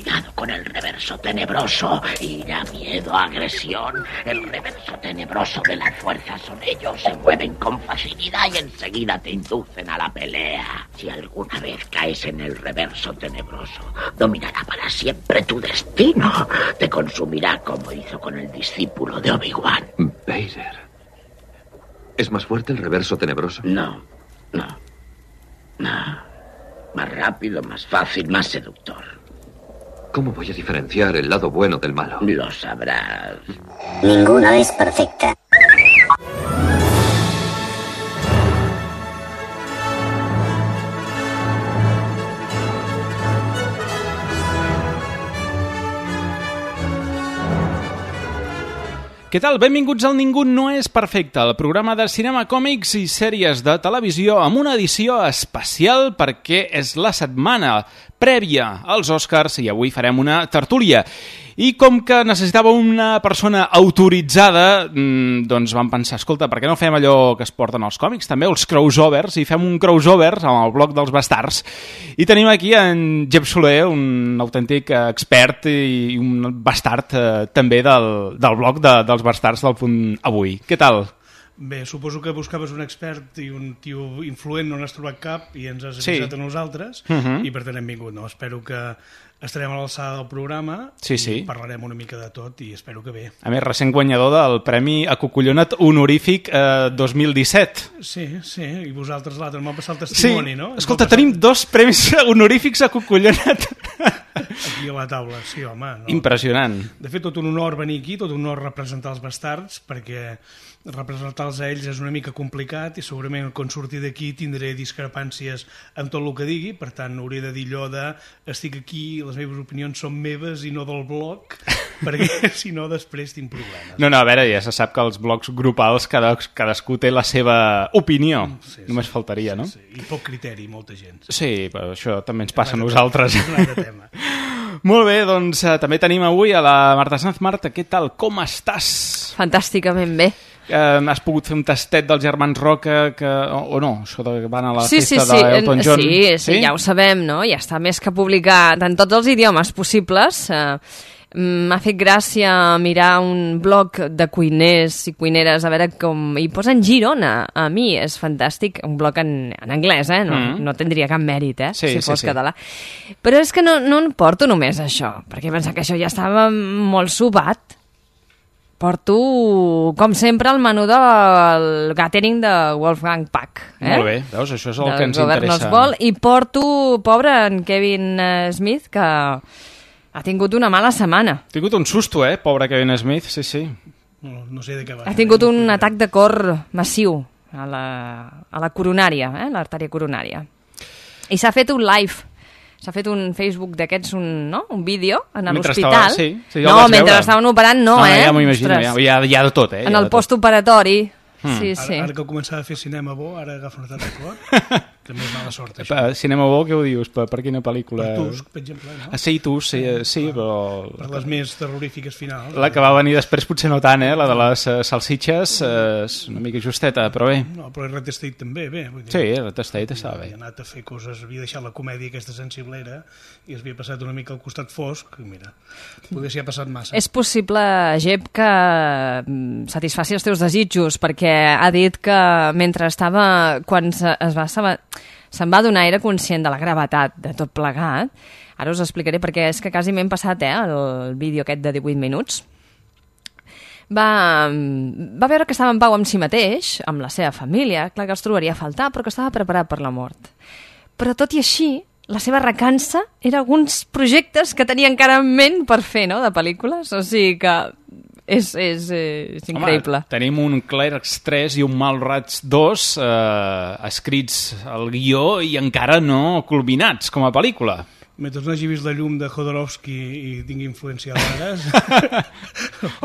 cuidado con el reverso tenebroso. Ira, miedo, agresión. El reverso tenebroso de las fuerzas son ellos. Se mueven con facilidad y enseguida te inducen a la pelea. Si alguna vez caes en el reverso tenebroso, dominará para siempre tu destino. Te consumirá como hizo con el discípulo de Obi-Wan. Vader. ¿Es más fuerte el reverso tenebroso? No. Más rápido, más fácil, más seductor. ¿Cómo voy a diferenciar el lado bueno del malo? Lo sabrás. Ninguna es perfecta. Què tal? Benvinguts al Ningú no és perfecte, el programa de cinema, còmics i sèries de televisió amb una edició especial perquè és la setmana prèvia als Oscars i avui farem una tertúlia. I com que necessitava una persona autoritzada, doncs vam pensar, escolta, per què no fem allò que es porten als còmics, també els crossovers, i fem un crossover amb el bloc dels bastards. I tenim aquí en Jep Soler, un autèntic expert i un bastard també del bloc dels bastards del Punt Avui. Què tal? Bé, suposo que buscaves un expert i un tio influent, no n'has trobat cap i ens has avisat a nosaltres i per tant hem vingut. No? Espero que estarem a l'alçada del programa i parlarem una mica de tot i espero que bé. A més, recent guanyador del Premi Acocollonat Honorífic 2017. Sí, i vosaltres l'altre m'ha passat el testimoni, no? Escolta, tenim 2 premis honorífics Acocollonat. Aquí a la taula, sí, home. No? Impressionant. De fet, tot un honor venir aquí, tot un honor representar els bastards, perquè representar-los a ells és una mica complicat i segurament quan surti d'aquí tindré discrepàncies amb tot el que digui, per tant hauré de dir allò de estic aquí, les meves opinions són meves i no del bloc, perquè si no després tinc problemes. No, a veure, ja se sap que els blocs grupals cadascú té la seva opinió, només faltaria, no? Sí. I poc criteri, molta gent. Sí, però això també ens passa a nosaltres. És un altre tema. Molt bé, doncs també tenim avui a la Marta Sanz. Marta, què tal? Com estàs? Fantàsticament bé. Has pogut fer un tastet dels germans Roca o no? Això de van a la festa d'Elton John? Sí, ja ho sabem, no? Ja està més que publicat en tots els idiomes possibles. M'ha fet gràcia mirar un blog de cuiners i cuineres, a veure com hi posen Girona. A mi és fantàstic, un blog en anglès, no tindria cap mèrit, si fos català. Però és que no en porto només això, perquè penso que això ja estava molt sobat. Porto, com sempre, el menú del catering de Wolfgang Puck. Molt bé, veus, això és el que ens interessa. I porto, pobre en Kevin Smith, que ha tingut una mala setmana. Ha tingut un susto, pobre Kevin Smith, sí. No sé de què va. Ha tingut un atac de cor massiu a la coronària, l'artèria coronària. I s'ha fet un live. S'ha fet un Facebook d'aquests, un vídeo en l'hospital. Mentre estaven operant, ja m'ho imagino, hi ha de tot, en el postoperatori. Sí. Ara que començava a fer cinema bo, ara agafa una de cor. També és mala sort, això. Cinema bo, què ho dius? Per quina pel·lícula? Per Tusk, per exemple, no? Sí, Tusk, sí, però... Per les més terrorífiques finals. La que va venir després potser no tant, la de les salsitxes, és una mica justeta, però bé. No, però Red State també, bé. Sí, Red State estava bé. Havia anat a fer coses, havia deixat la comèdia aquesta sensiblera i es havia passat una mica al costat fosc, i mira, potser s'hi ha passat massa. És possible, Jep, que satisfaci els teus desitjos, perquè ha dit que mentre estava, quan se'n va donar, era conscient de la gravetat de tot plegat. Ara us explicaré, perquè és que quasi m'hem passat el vídeo aquest de 18 minuts. Va veure que estava en pau amb si mateix, amb la seva família, clar que els trobaria a faltar, però que estava preparat per la mort. Però tot i així, la seva recança era alguns projectes que tenia encara en ment per fer, no?, de pel·lícules. O sigui que és increïble. Home, tenim un Clerks 3 i un Mallrats 2 escrits al guió i encara no culminats com a pel·lícula. Mentre no hagi vist la llum de Jodorowsky i tingui influència d'Ares,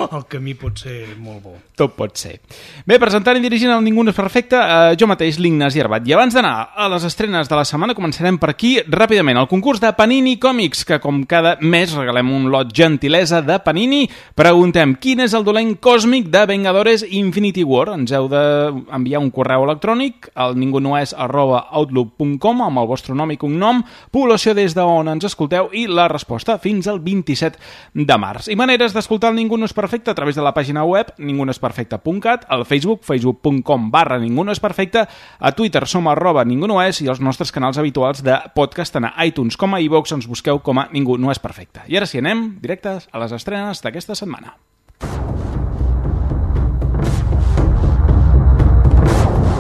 el camí pot ser molt bo. Tot pot ser. Bé, presentant i dirigint el Ningú no és perfecte, jo mateix, l'Ignasi Arbat. I abans d'anar a les estrenes de la setmana, començarem per aquí ràpidament. El concurs de Panini Còmics, que com cada mes regalem un lot gentilesa de Panini. Preguntem, quin és el dolent còsmic de Vengadores Infinity War? Ens heu d'enviar un correu electrònic al ningunoes@outlook.com amb el vostre nom i cognom, població des d'on on ens escolteu i la resposta fins al 27 de març. I maneres d'escoltar el Ningú no és perfecte a través de la pàgina web ningunoesperfecte.cat, al Facebook, facebook.com/ningunoesperfecte, a Twitter som @ningunoes i els nostres canals habituals de podcast tant a iTunes com a iVoox ens busqueu com a Ningú no és perfecte. I ara sí, anem directes a les estrenes d'aquesta setmana.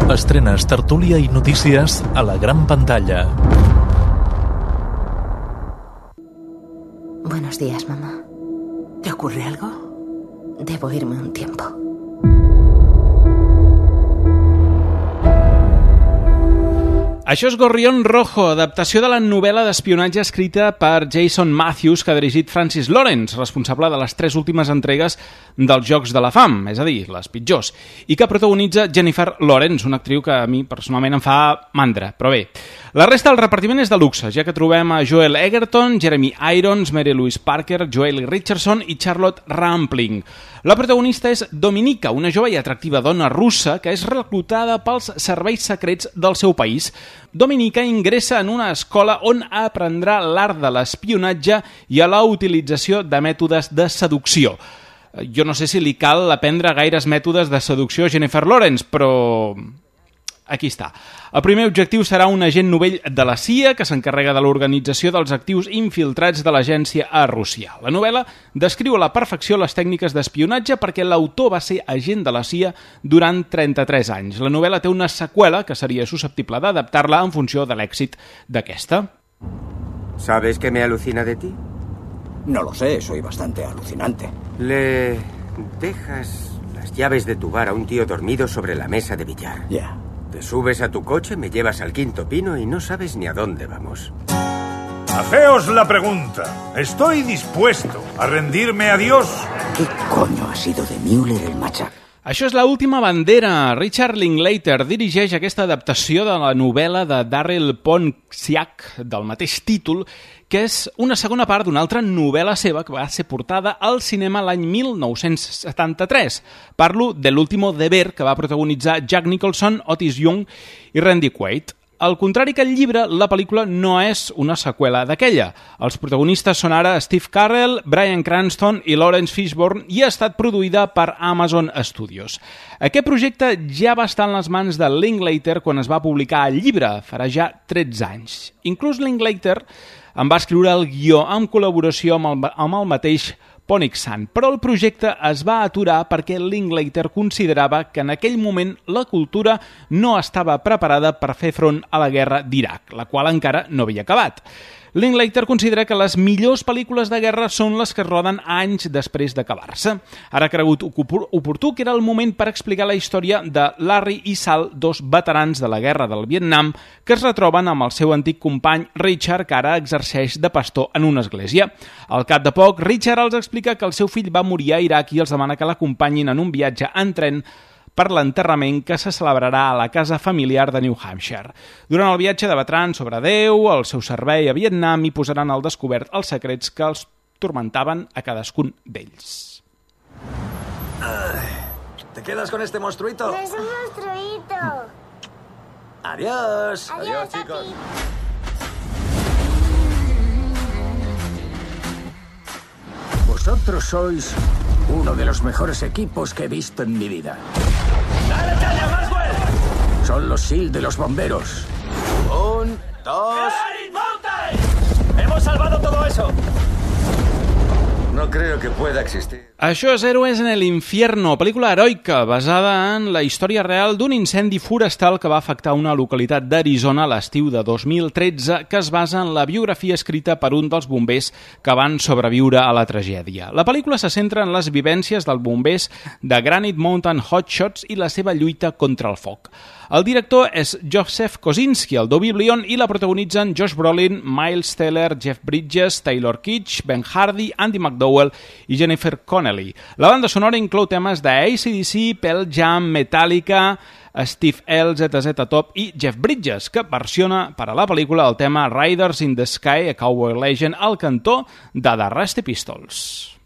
Estrenes, tertúlia i notícies a la gran pantalla. Buenos días, mamá. ¿Te ocurre algo? Debo irme un tiempo. Això és Gorrión Rojo, adaptació de la novel·la d'espionatge escrita per Jason Matthews que ha dirigit Francis Lawrence, responsable de les 3 últimes entregues dels Jocs de la Fam, és a dir, les pitjors, i que protagonitza Jennifer Lawrence, una actriu que a mi personalment em fa mandra, però bé. La resta del repartiment és de luxe, ja que trobem a Joel Egerton, Jeremy Irons, Mary Louise Parker, Joely Richardson i Charlotte Rampling. La protagonista és Dominika, una jove i atractiva dona russa que és reclutada pels serveis secrets del seu país. Dominika ingressa en una escola on aprendrà l'art de l'espionatge i a la utilització de mètodes de seducció. Jo no sé si li cal aprendre gaires mètodes de seducció a Jennifer Lawrence, però aquí està. El primer objectiu serà un agent novell de la CIA que s'encarrega de l'organització dels actius infiltrats de l'agència a Rússia. La novel·la descriu a la perfecció les tècniques d'espionatge perquè l'autor va ser agent de la CIA durant 33 anys. La novel·la té una seqüela que seria susceptible d'adaptar-la en funció de l'èxit d'aquesta. ¿Sabes qué me alucina de ti? No lo sé, soy bastante alucinante. Le dejas las llaves de tu bar a un tío dormido sobre la mesa de billar. Ya. Te subes a tu coche, me llevas al Quinto Pino y no sabes ni a dónde vamos. Hacéos la pregunta. ¿Estoy dispuesto a rendirme a Dios? ¿Qué coño ha sido de Müller el machac? Això és l'última bandera. Richard Linklater dirigeix aquesta adaptació de la novel·la de Darryl Ponsiak del mateix títol, que és una segona part d'una altra novel·la seva que va ser portada al cinema l'any 1973. Parlo de L'último deber, que va protagonitzar Jack Nicholson, Otis Young i Randy Quaid. Al contrari que el llibre, la pel·lícula no és una seqüela d'aquella. Els protagonistes són ara Steve Carell, Bryan Cranston i Lawrence Fishburne i ha estat produïda per Amazon Studios. Aquest projecte ja va estar en les mans de Linklater quan es va publicar el llibre, farà ja 13 anys. Inclús Linklater en va escriure el guió en col·laboració amb el mateix Ponixan, però el projecte es va aturar perquè Linklater considerava que en aquell moment la cultura no estava preparada per fer front a la guerra d'Iraq, la qual encara no havia acabat. Linklater considera que les millors pel·lícules de guerra són les que es roden anys després d'acabar-se. Ara ha cregut oportú que era el moment per explicar la història de Larry i Sal, 2 veterans de la guerra del Vietnam, que es retroben amb el seu antic company Richard, que ara exerceix de pastor en una església. Al cap de poc, Richard els explica que el seu fill va morir a Iraq i els demana que l'acompanyin en un viatge en tren per l'enterrament que se celebrarà a la casa familiar de New Hampshire. Durant el viatge debatran sobre Déu, el seu servei a Vietnam i posaran al descobert els secrets que els tormentaven a cadascun d'ells. ¿Te quedas con este monstruito? No es un monstruito. Adiós. Adiós, chicos. Vosotros sois uno de los mejores equipos que he visto en mi vida. ¡Dale caña, Maxwell! Son los SEAL de los bomberos. 1, 2... ¡Hemos salvado todo eso! No creo que pueda existir. Això és Héroes en el Infierno, pel·lícula heroica basada en la història real d'un incendi forestal que va afectar una localitat d'Arizona a l'estiu de 2013 que es basa en la biografia escrita per un dels bombers que van sobreviure a la tragèdia. La pel·lícula se centra en les vivències dels bombers de Granite Mountain Hotshots i la seva lluita contra el foc. El director és Joseph Kosinski, el Biblion, i la protagonitzen Josh Brolin, Miles Teller, Jeff Bridges, Taylor Kitsch, Ben Hardy, Andy McDowell i Jennifer Connelly. La banda sonora inclou temes d'ACDC, Pearl Jam, Metallica, Steve L, ZZ Top i Jeff Bridges, que versiona per a la pel·lícula el tema Riders in the Sky, a Cowboy Legend, al cantó de The Rusty Pistols.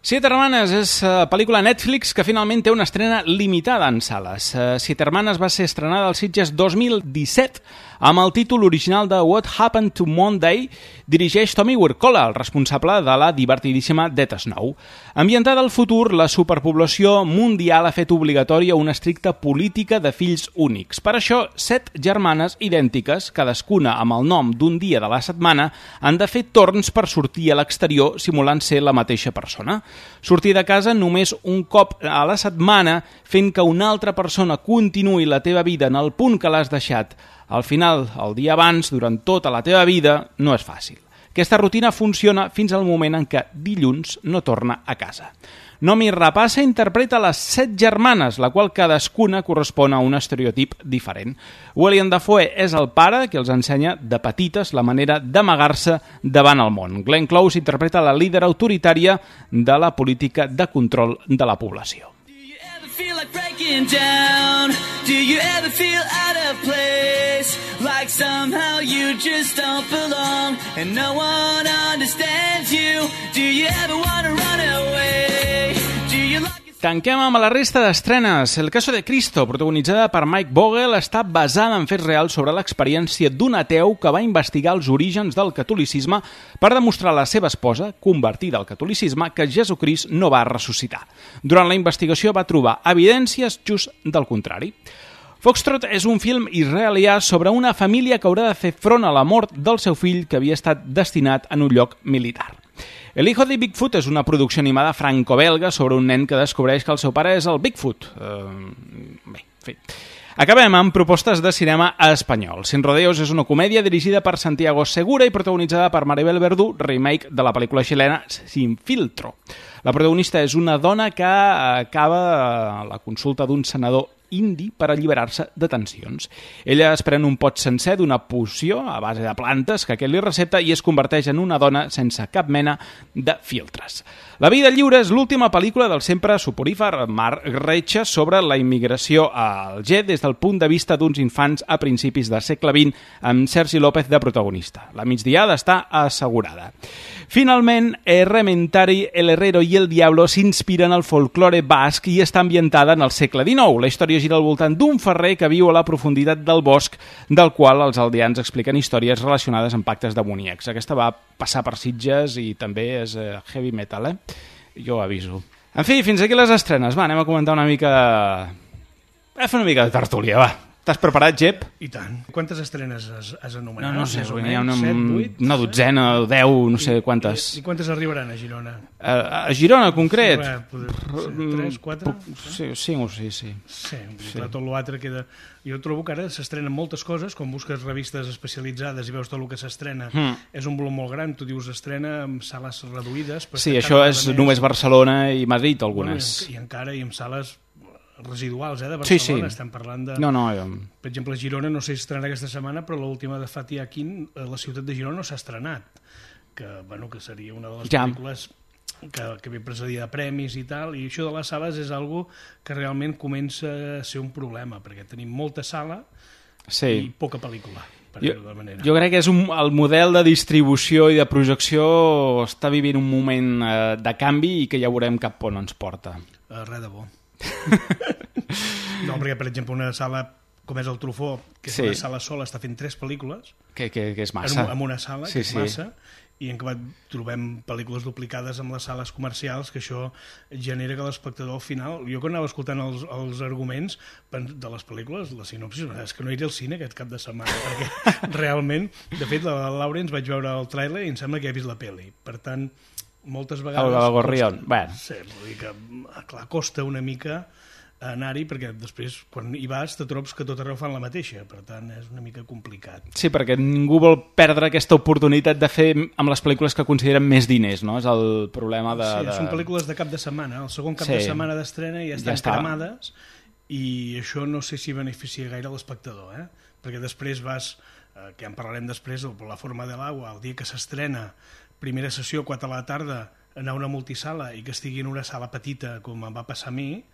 Siete Hermanas és pel·lícula Netflix que finalment té una estrena limitada en sales. Siete Hermanas va ser estrenada als Sitges 2017 amb el títol original de What Happened to Monday. Dirigeix Tommy Wirkola, el responsable de la divertidíssima Death Snow. Ambientada al futur, la superpoblació mundial ha fet obligatòria una estricta política de fills únics. Per això, 7 germanes idèntiques, cadascuna amb el nom d'un dia de la setmana, han de fer torns per sortir a l'exterior simulant ser la mateixa persona. Sortir de casa només un cop a la setmana, fent que una altra persona continuï la teva vida en el punt que l'has deixat al final, el dia abans, durant tota la teva vida, no és fàcil. Aquesta rutina funciona fins al moment en què dilluns no torna a casa. Noomi Rapace interpreta les 7 germanes, la qual cadascuna correspon a un estereotip diferent. William Dafoe és el pare que els ensenya de petites la manera d'amagar-se davant el món. Glenn Close interpreta la líder autoritària de la política de control de la població. Feel like breaking down? Do you ever feel out of place? Like somehow you just don't belong and no one understands you? Do you ever want to run away? Do you like... Tanquem amb la resta d'estrenes. El caso de Cristo, protagonitzada per Mike Vogel, està basada en fets reals sobre l'experiència d'un ateu que va investigar els orígens del catolicisme per demostrar a la seva esposa, convertida al catolicisme, que Jesucrist no va ressuscitar. Durant la investigació va trobar evidències just del contrari. Foxtrot és un film israelià sobre una família que haurà de fer front a la mort del seu fill que havia estat destinat en un lloc militar. El hijo de Bigfoot és una producció animada franco-belga sobre un nen que descobreix que el seu pare és el Bigfoot. Bé, en fi. Acabem amb propostes de cinema espanyol. Sin Rodeos és una comèdia dirigida per Santiago Segura i protagonitzada per Maribel Verdú, remake de la pel·lícula xilena Sin Filtro. La protagonista és una dona que acaba a la consulta d'un senador indi per alliberar-se de tensions. Ella es pren un pot sencer d'una poció a base de plantes que aquest li recepta i es converteix en una dona sense cap mena de filtres. La vida lliure és l'última pel·lícula del sempre soporífer Marc Reixa sobre la immigració a Alger des del punt de vista d'uns infants a principis del segle XX amb Sergi López de protagonista. La migdiada està assegurada. Finalment, Errementari, El Herrero i El Diablo s'inspiren al folklore basc i està ambientada en el segle XIX. La història gira al voltant d'un ferrer que viu a la profunditat del bosc, del qual els aldeans expliquen històries relacionades amb pactes demoníacs. Aquesta va passar per Sitges i també és heavy metal, Jo aviso. En fi, fins aquí les estrenes. Va, anem a comentar una mica... A fer una mica de tertúlia, va. T'has preparat, Jep? I tant. Quantes estrenes has anomenat? No sé, n'hi ha una dotzena o 10, no sé quantes. I quantes arribaran a Girona? A Girona, en concret? 3, 4? Sí, 5 o 6, sí. Sí, tot l'altre queda... Jo trobo que ara s'estrenen moltes coses, quan busques revistes especialitzades i veus tot el que s'estrena, és un volum molt gran, tu dius estrena amb sales reduïdes... Sí, això és només Barcelona i Madrid, algunes. I encara, i amb sales residuals, de Barcelona, estem parlant de... No, per exemple, Girona no sé si estrenarà aquesta setmana, però l'última de Fatih Akin, la ciutat de Girona no s'ha estrenat, que seria una de les pel·lícules que ve precedida de premis i tal, i això de les sales és algo que realment comença a ser un problema, perquè tenim molta sala i poca pel·lícula. Jo crec que és el model de distribució i de projecció està vivint un moment de canvi i que ja veurem cap on ens porta. Res de bo. No, perquè per exemple una sala com és el Trufó, que és una sala sola, està fent 3 pel·lícules que és massa en una sala, que és massa, i en què trobem pel·lícules duplicades amb les sales comercials, que això genera que l'espectador al final, jo quan anava escoltant els arguments de les pel·lícules, la sinopsis, és que no iré al cine aquest cap de setmana, perquè realment, de fet la Laura ens vaig veure el tràiler i em sembla que he vist la pel·li, per tant moltes vegades... El Gorrión, bueno. Sí, vull dir que, clar, costa una mica anar-hi, perquè després, quan hi vas, te trobes que tot arreu fan la mateixa, per tant, és una mica complicat. Sí, perquè ningú vol perdre aquesta oportunitat de fer amb les pel·lícules que consideren més diners, no? És el problema de... Sí, són pel·lícules de cap de setmana, el segon cap de setmana d'estrena ja estan cremades, i això no sé si beneficia gaire l'espectador, perquè després vas, que en parlarem després, La forma de l'agua, el dia que s'estrena, primera sessió, 4 a la tarda, anar a una multisala i que estigui en una sala petita, com em va passar a mi,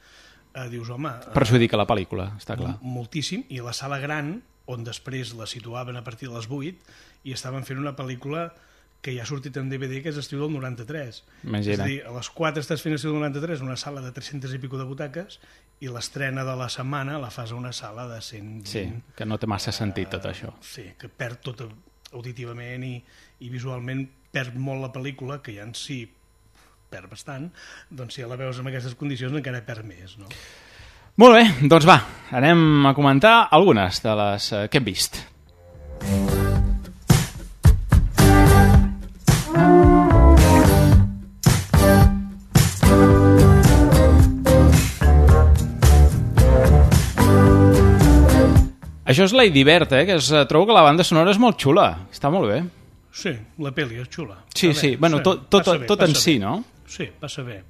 dius, home... Perjudica la pel·lícula, està clar. Moltíssim, i la sala gran, on després la situaven a partir de les 8, i estaven fent una pel·lícula que ja ha sortit en DVD, que és estiu del 93. Imagina. És a dir, a les 4 estàs fent estiu del 93, una sala de 300 i pico de butaques, i l'estrena de la setmana la fas a una sala de 120. Sí, que no té massa sentit tot això. Sí, que perd tot auditivament i visualment perd molt la pel·lícula, que ja en si perd bastant, doncs si la veus en aquestes condicions encara perd més, no? Molt bé, doncs va, anem a comentar algunes de les que hem vist. Això és Lady Bird, que trobo que la banda sonora és molt xula. Està molt bé. Sí, la pel·li és xula. Sí, sí. Bueno, tot en si, no? Sí, passa bé.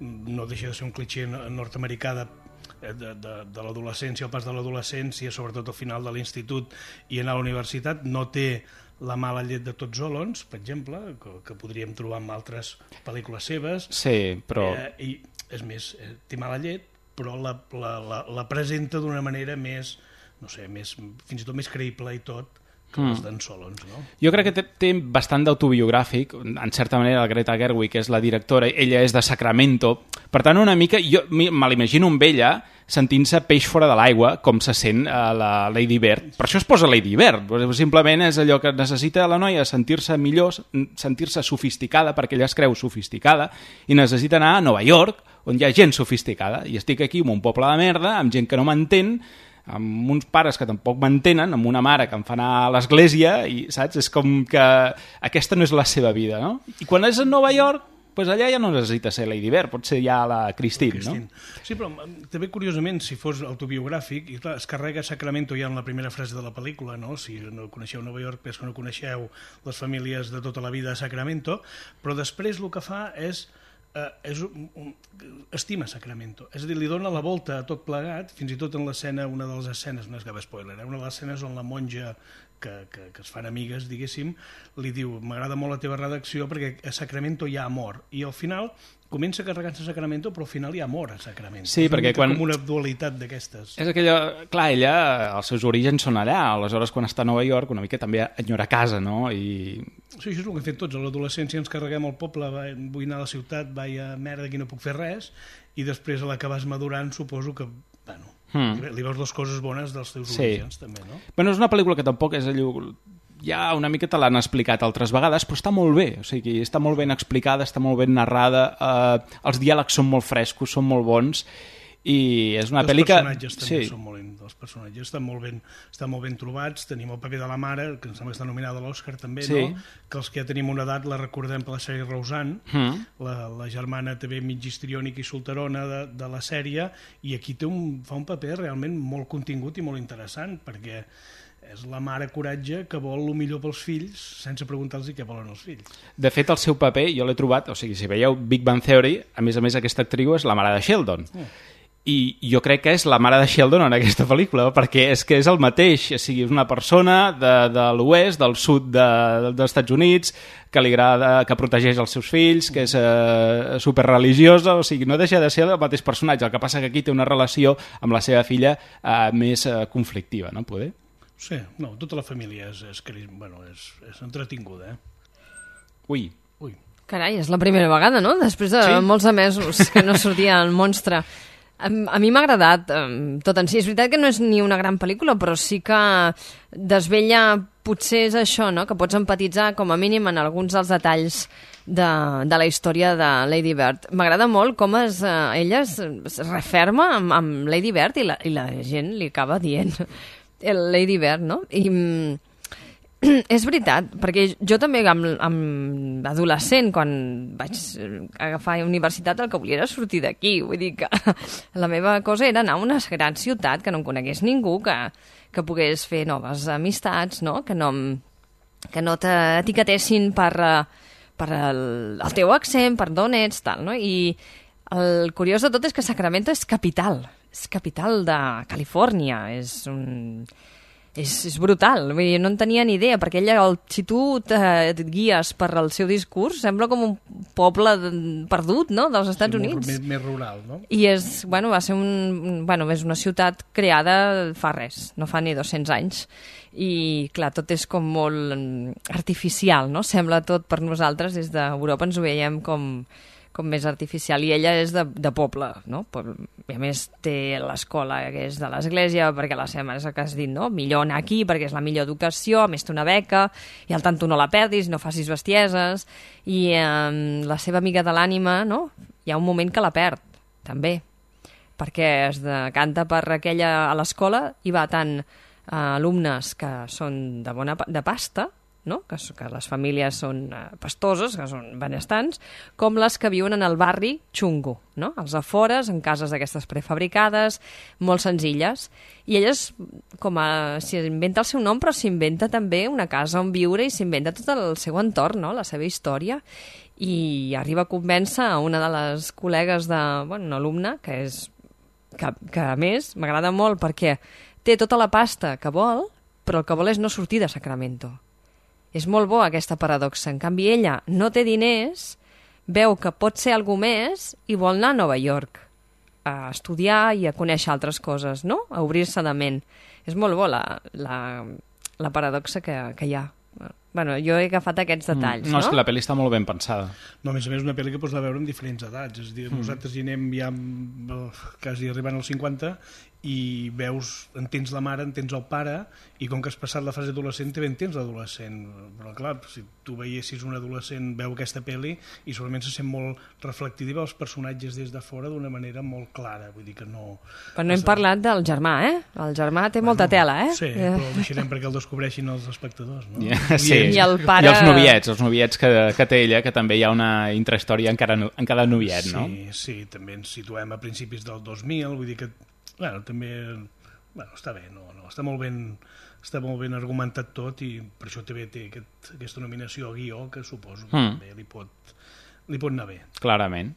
No deixa de ser un clitxé nord-americà de l'adolescència, el pas de l'adolescència, sobretot al final de l'institut i anar a la universitat. No té la mala llet de tots Olons, per exemple, que podríem trobar en altres pel·lícules seves. Sí, però... I, és més, té mala llet, però la presenta d'una manera més... no sé, fins i tot més creïble i tot que les d'en Solons, no? Jo crec que té bastant d'autobiogràfic. En certa manera, la Greta Gerwig, que és la directora, ella és de Sacramento. Per tant, una mica, jo me l'imagino amb ella sentint-se peix fora de l'aigua, com se sent la Lady Bird. Per això es posa Lady Bird. Simplement és allò que necessita la noia, sentir-se millor, sentir-se sofisticada, perquè ella es creu sofisticada, i necessita anar a Nova York, on hi ha gent sofisticada. I estic aquí en un poble de merda, amb gent que no m'entén, amb uns pares que tampoc m'entenen, amb una mare que em fa anar a l'església, i saps? És com que aquesta no és la seva vida, no? I quan és a Nova York, doncs allà ja no necessita ser Lady Bird, pot ser ja la Christine, no? Sí, però també curiosament, si fos autobiogràfic, i clar, es carrega Sacramento ja en la primera frase de la pel·lícula, no? Si no coneixeu Nova York, és que no coneixeu les famílies de tota la vida a Sacramento, però després el que fa és estima Sacramento, és a dir, li dona la volta a tot plegat, fins i tot en l'escena, una de les escenes, no és cap spoiler, una de les escenes on la monja que es fan amigues, diguéssim, li diu, m'agrada molt la teva redacció perquè a Sacramento hi ha amor, i al final comença carregant-se a Sacramento, però al final hi ha amor a Sacramento. Sí, perquè quan... com una dualitat d'aquestes. És aquella... Clar, ella, els seus orígens són allà, aleshores quan està a Nova York una mica també enyora casa, no? I... Sí, això és el que hem fet tots. A l'adolescència ens carreguem al poble, vull anar a la ciutat, vaig a merda, aquí no puc fer res, i després a la que vas madurant suposo que, bueno, li veus les coses bones dels teus orígens, també, no? Bueno, és una pel·lícula que tampoc és allò... Ja una mica te l'han explicat altres vegades, però està molt bé, o sigui, està molt ben explicada, està molt ben narrada, els diàlegs són molt frescos, són molt bons, i és una pel·li que... Els personatges també són molt... Els personatges estan molt ben trobats, tenim el paper de la mare, que em sembla que està nominada a l'Oscar també, no? Que els que ja tenim una edat la recordem per la sèrie Roseanne, la germana també mig histriònica i solterona de la sèrie, i aquí fa un paper realment molt contingut i molt interessant, perquè és la mare coratge que vol el millor pels fills sense preguntar-los què volen els fills. De fet, el seu paper, jo l'he trobat, o sigui, si veieu Big Bang Theory, a més aquesta actriu és la mare de Sheldon. I jo crec que és la mare de Sheldon en aquesta pel·lícula, perquè és que és el mateix, o sigui, és una persona de l'oest, del sud dels Estats Units, que li agrada, que protegeix els seus fills, que és superreligiosa, o sigui, no deixa de ser el mateix personatge, el que passa que aquí té una relació amb la seva filla més conflictiva, no? Poder? Sí, no, tota la família és entretinguda, Ui. Carai, és la primera vegada, no? Després de molts de mesos que no sortia el monstre. A mi m'ha agradat tot en si. És veritat que no és ni una gran pel·lícula, però sí que desvella, potser és això, no? Que pots empatitzar com a mínim en alguns dels detalls de la història de Lady Bird. M'agrada molt com ella es referma amb Lady Bird i la gent li acaba dient el Lady Bird, no? I és veritat, perquè jo també amb adolescent, quan vaig agafar universitat, el que volia era sortir d'aquí. Vull dir que la meva cosa era anar a una gran ciutat, que no em conegués ningú, que pogués fer noves amistats, no? Que no t'etiquetessin per el teu accent, per d'on ets, tal, no? I el curiós de tot és que Sacramento és capital de Califòrnia, és És brutal, vull dir, no en tenia ni idea, perquè ella, si tu et guies per el seu discurs, sembla com un poble perdut, no?, dels Estats Units. Més rural, no? I va ser és una ciutat creada fa res, no fa ni 200 anys. I, clar, tot és com molt artificial, no? Sembla tot per nosaltres, des d'Europa ens ho veiem com més artificial, i ella és de poble, no? I a més té l'escola que és de l'església, perquè la seva mare és el que has dit, no? Millor anar aquí perquè és la millor educació, a més té una beca, i al tant tu no la perdis, no facis bestieses, i la seva amiga de l'ànima, no? Hi ha un moment que la perd, també, perquè es decanta per aquella a l'escola, i va tant alumnes que són de pasta, no? Que les famílies són pastoses, que són benestants, com les que viuen en el barri xungo, no? Als afores, en cases d'aquestes prefabricades, molt senzilles. I elles, s'inventa el seu nom, però s'inventa també una casa on viure i s'inventa tot el seu entorn, no? La seva història. I arriba a convèncer a una de les col·legues una alumna, que a més m'agrada molt perquè té tota la pasta que vol, però el que vol és no sortir de Sacramento. És molt bo aquesta paradoxa. En canvi, ella no té diners, veu que pot ser algú més i vol anar a Nova York a estudiar i a conèixer altres coses, no? A obrir-se de ment. És molt bo la paradoxa que hi ha. Bueno, jo he agafat aquests detalls, no? És que la pel·li està molt ben pensada. No, a més és una pel·li que pots veure amb diferents edats. És a dir, nosaltres hi anem ja quasi arribant als 50 i entens la mare, entens el pare, i com que has passat la fase adolescent també entens l'adolescent. Però clar, si tu veiessis un adolescent, veu aquesta pel·li i segurament se sent molt reflectiva els personatges des de fora d'una manera molt clara, vull dir que no... Però no hem parlat del germà, eh? El germà té molta tela, eh? Sí, però el deixarem perquè el descobreixin els espectadors, no? Sí, i el pare... I els noviets que té ella, que també hi ha una intrahistòria en cada noviet, no? Sí, també ens situem a principis del 2000, vull dir que també està bé, està molt ben argumentat tot, i per això també té aquesta nominació a guió, que suposo que també li pot anar bé. Clarament.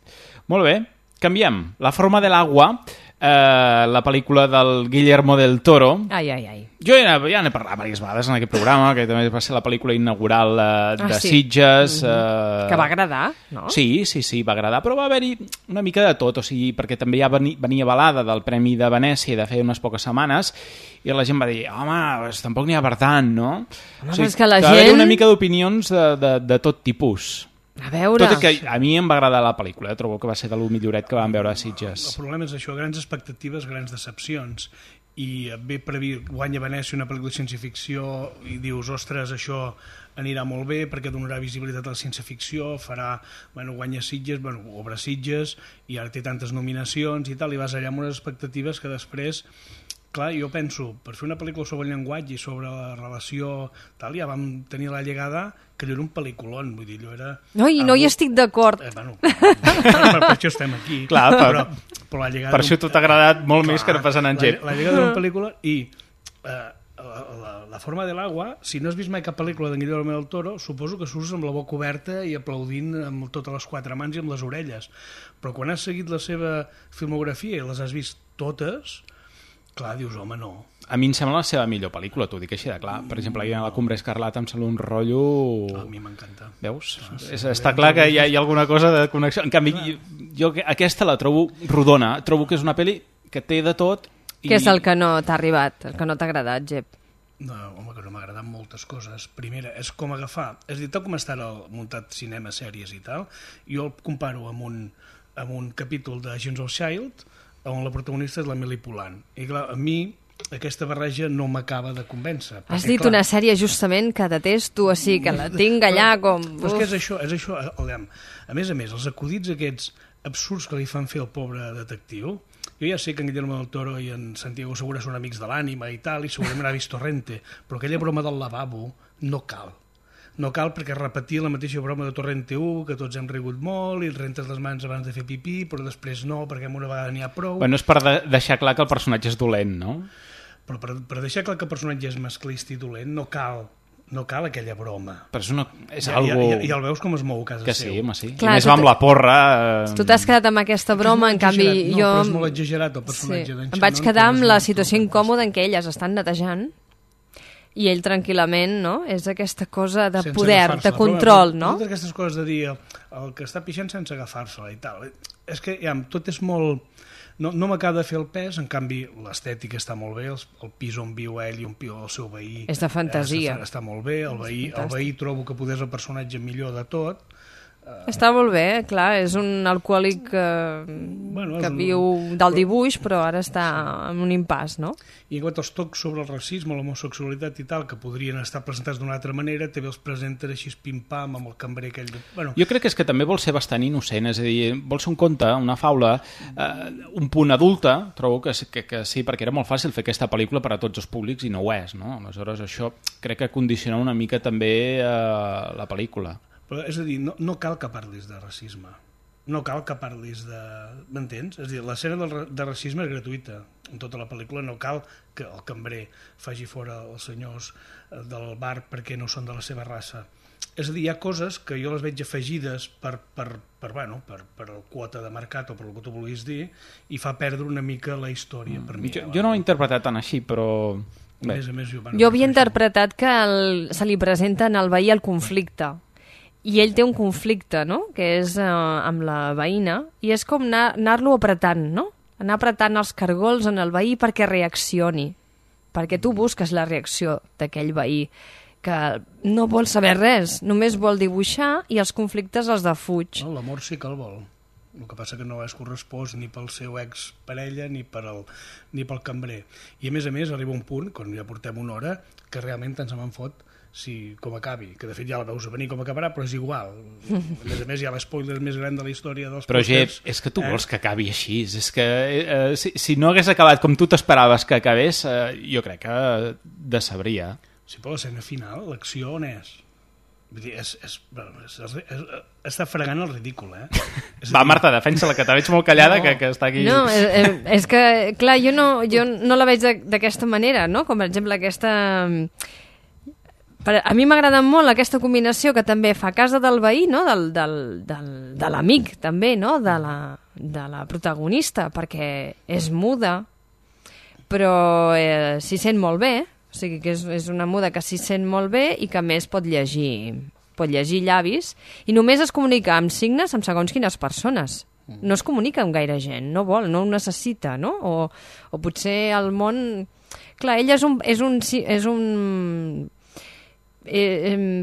Molt bé, canviem. La forma de l'agua, la pel·lícula del Guillermo del Toro. Ai. Jo ja n'he parlat diverses vegades en aquest programa, que també va ser la pel·lícula inaugural de Sitges. Que va agradar, no? Sí, va agradar, però va haver-hi una mica de tot, o sigui, perquè també ja venia avalada del Premi de Venècia de feia unes poques setmanes, i la gent va dir, home, tampoc n'hi ha per tant, no? Home, o sigui, és que la gent... Va haver-hi una mica d'opinions de tot tipus. A veure... Tot i que a mi em va agradar la pel·lícula, trobo que va ser de lo milloret que vam veure a Sitges. El problema és això, grans expectatives, grans decepcions, i ve per dir, guanya Venècia una pel·lícula de ciència-ficció i dius, ostres, això anirà molt bé perquè donarà visibilitat a la ciència-ficció, guanya Sitges, obre Sitges, i ara té tantes nominacions i tal, i vas allà amb unes expectatives que després... Clar, jo penso, per fer una pel·lícula sobre el llenguatge i sobre la relació tal, ja vam tenir la llegada que allò era un pel·lículon, vull dir, allò era... No hi estic d'acord. Per això estem aquí. Clar, però la llegada... Per això t'ha agradat molt més que no passant en Gep. La llegada d'una pel·lícula i la forma de l'agua, si no has vist mai cap pel·lícula d'en Guillermo del Toro, suposo que surts amb la boca oberta i aplaudint amb totes les quatre mans i amb les orelles. Però quan has seguit la seva filmografia i les has vist totes... Clar, dius, home, no. A mi em sembla la seva millor pel·lícula, t'ho dic així de clar. Per exemple, a la Cumbre Escarlata em sembla un rotllo... A mi m'encanta. Veus? Està clar que hi ha alguna cosa de connexió. En canvi, jo aquesta la trobo rodona. Trobo que és una pel·li que té de tot. Què és el que no t'ha arribat, el que no t'ha agradat, Gep? No, home, que no m'ha agradat moltes coses. Primera, és com agafar... És a dir, tal com està muntat cinema, sèries i tal, jo el comparo amb un capítol de Agents of S.H.I.E.L.D., on la protagonista és la Emily Poulain. I clar, a mi aquesta barreja no m'acaba de convèncer. Has dit una sèrie justament que detesto, així que la tinc allà com... Però és que és això, a més, els acudits aquests absurds que li fan fer al pobre detectiu, jo ja sé que en Guillermo del Toro i en Santiago Segura són amics de l'ànima i tal, i segurament ha vist Torrente, però aquella broma del lavabo no cal. No cal perquè repetia la mateixa broma de Torrente 1, que tots hem rigut molt, i rentes les mans abans de fer pipí, però després no, perquè una vegada n'hi ha prou. Bueno, és per deixar clar que el personatge és dolent, no? Però per deixar clar que el personatge és masclista i dolent, no cal aquella broma. Però és algo... I el veus com es mou a casa que seu. Sí, home, sí. Clar, i més va amb la porra... Tu t'has quedat amb aquesta broma, en canvi jo... No, però és molt exagerat el personatge d'en Shannon. Em vaig quedar amb la situació incòmoda en què elles estan netejant I ell tranquil·lament, no? És aquesta cosa de poder, de control, no? Totes aquestes coses de dir el que està pixant sense agafar-se-la i tal. És que tot és molt... No m'acaba de fer el pes, en canvi l'estètica està molt bé, el pis on viu ell i on viu el seu veí... És de fantasia. Està molt bé, el veí trobo que poder és el personatge millor de tot. Està molt bé, clar, és un alcohòlic que viu del dibuix, però ara està en un impàs, no? I en quant als tocs sobre el racisme, l'homosexualitat i tal, que podrien estar presentats d'una altra manera, també els presenten així pim-pam amb el cambrer aquell... Jo crec que és que també vol ser bastant innocent, és a dir, vol ser un conte, una faula, un punt adulta, trobo que sí, perquè era molt fàcil fer aquesta pel·lícula per a tots els públics i no ho és, no? Aleshores, això crec que condiciona una mica també la pel·lícula. Però, és a dir, no cal que parlis de racisme. No cal que parlis de... M'entens? És a dir, l'escena de racisme és gratuïta. En tota la pel·lícula no cal que el cambrer faci fora els senyors del bar perquè no són de la seva raça. És a dir, hi ha coses que jo les veig afegides per quota de mercat o per el que tu vulguis dir i fa perdre una mica la història per mi. Jo no ho he interpretat tan així, però... A més, jo havia interpretat que se li presenta al veí el conflicte. I ell té un conflicte, no?, que és amb la veïna, i és com anar-lo apretant, no? Anar apretant els cargols en el veí perquè reaccioni, perquè tu busques la reacció d'aquell veí, que no vol saber res, només vol dibuixar i els conflictes els defuig. No, l'amor sí que el vol. El que passa que no és correspost ni pel seu exparella ni pel cambrer. I a més, arriba un punt, quan ja portem una hora, que realment tant se me'n fot com acabi, que de fet ja la veus a venir com acabarà, però és igual. A més hi ha l'espoiler més gran de la història dels però Jep, és que tu vols que acabi així, és que si no hagués acabat com tu t'esperaves que acabés, jo crec que decebria. Sí, però l'escena final, l'acció on és? Vull dir, està fregant el ridícul, Va, Marta, defensa-la, que te veig molt callada, que està aquí... No, és que, clar, jo no la veig d'aquesta manera, no? Com, per exemple, aquesta... A mi m'agrada molt aquesta combinació que també fa casa del veí, no? De l'amic, també, no? De la protagonista, perquè és muda, però s'hi sent molt bé, o sigui que és una muda que s'hi sent molt bé i que a més pot llegir llavis, i només es comunica amb signes amb segons quines persones. No es comunica amb gaire gent, no vol, no ho necessita, no? O potser el món... Clar, ella és un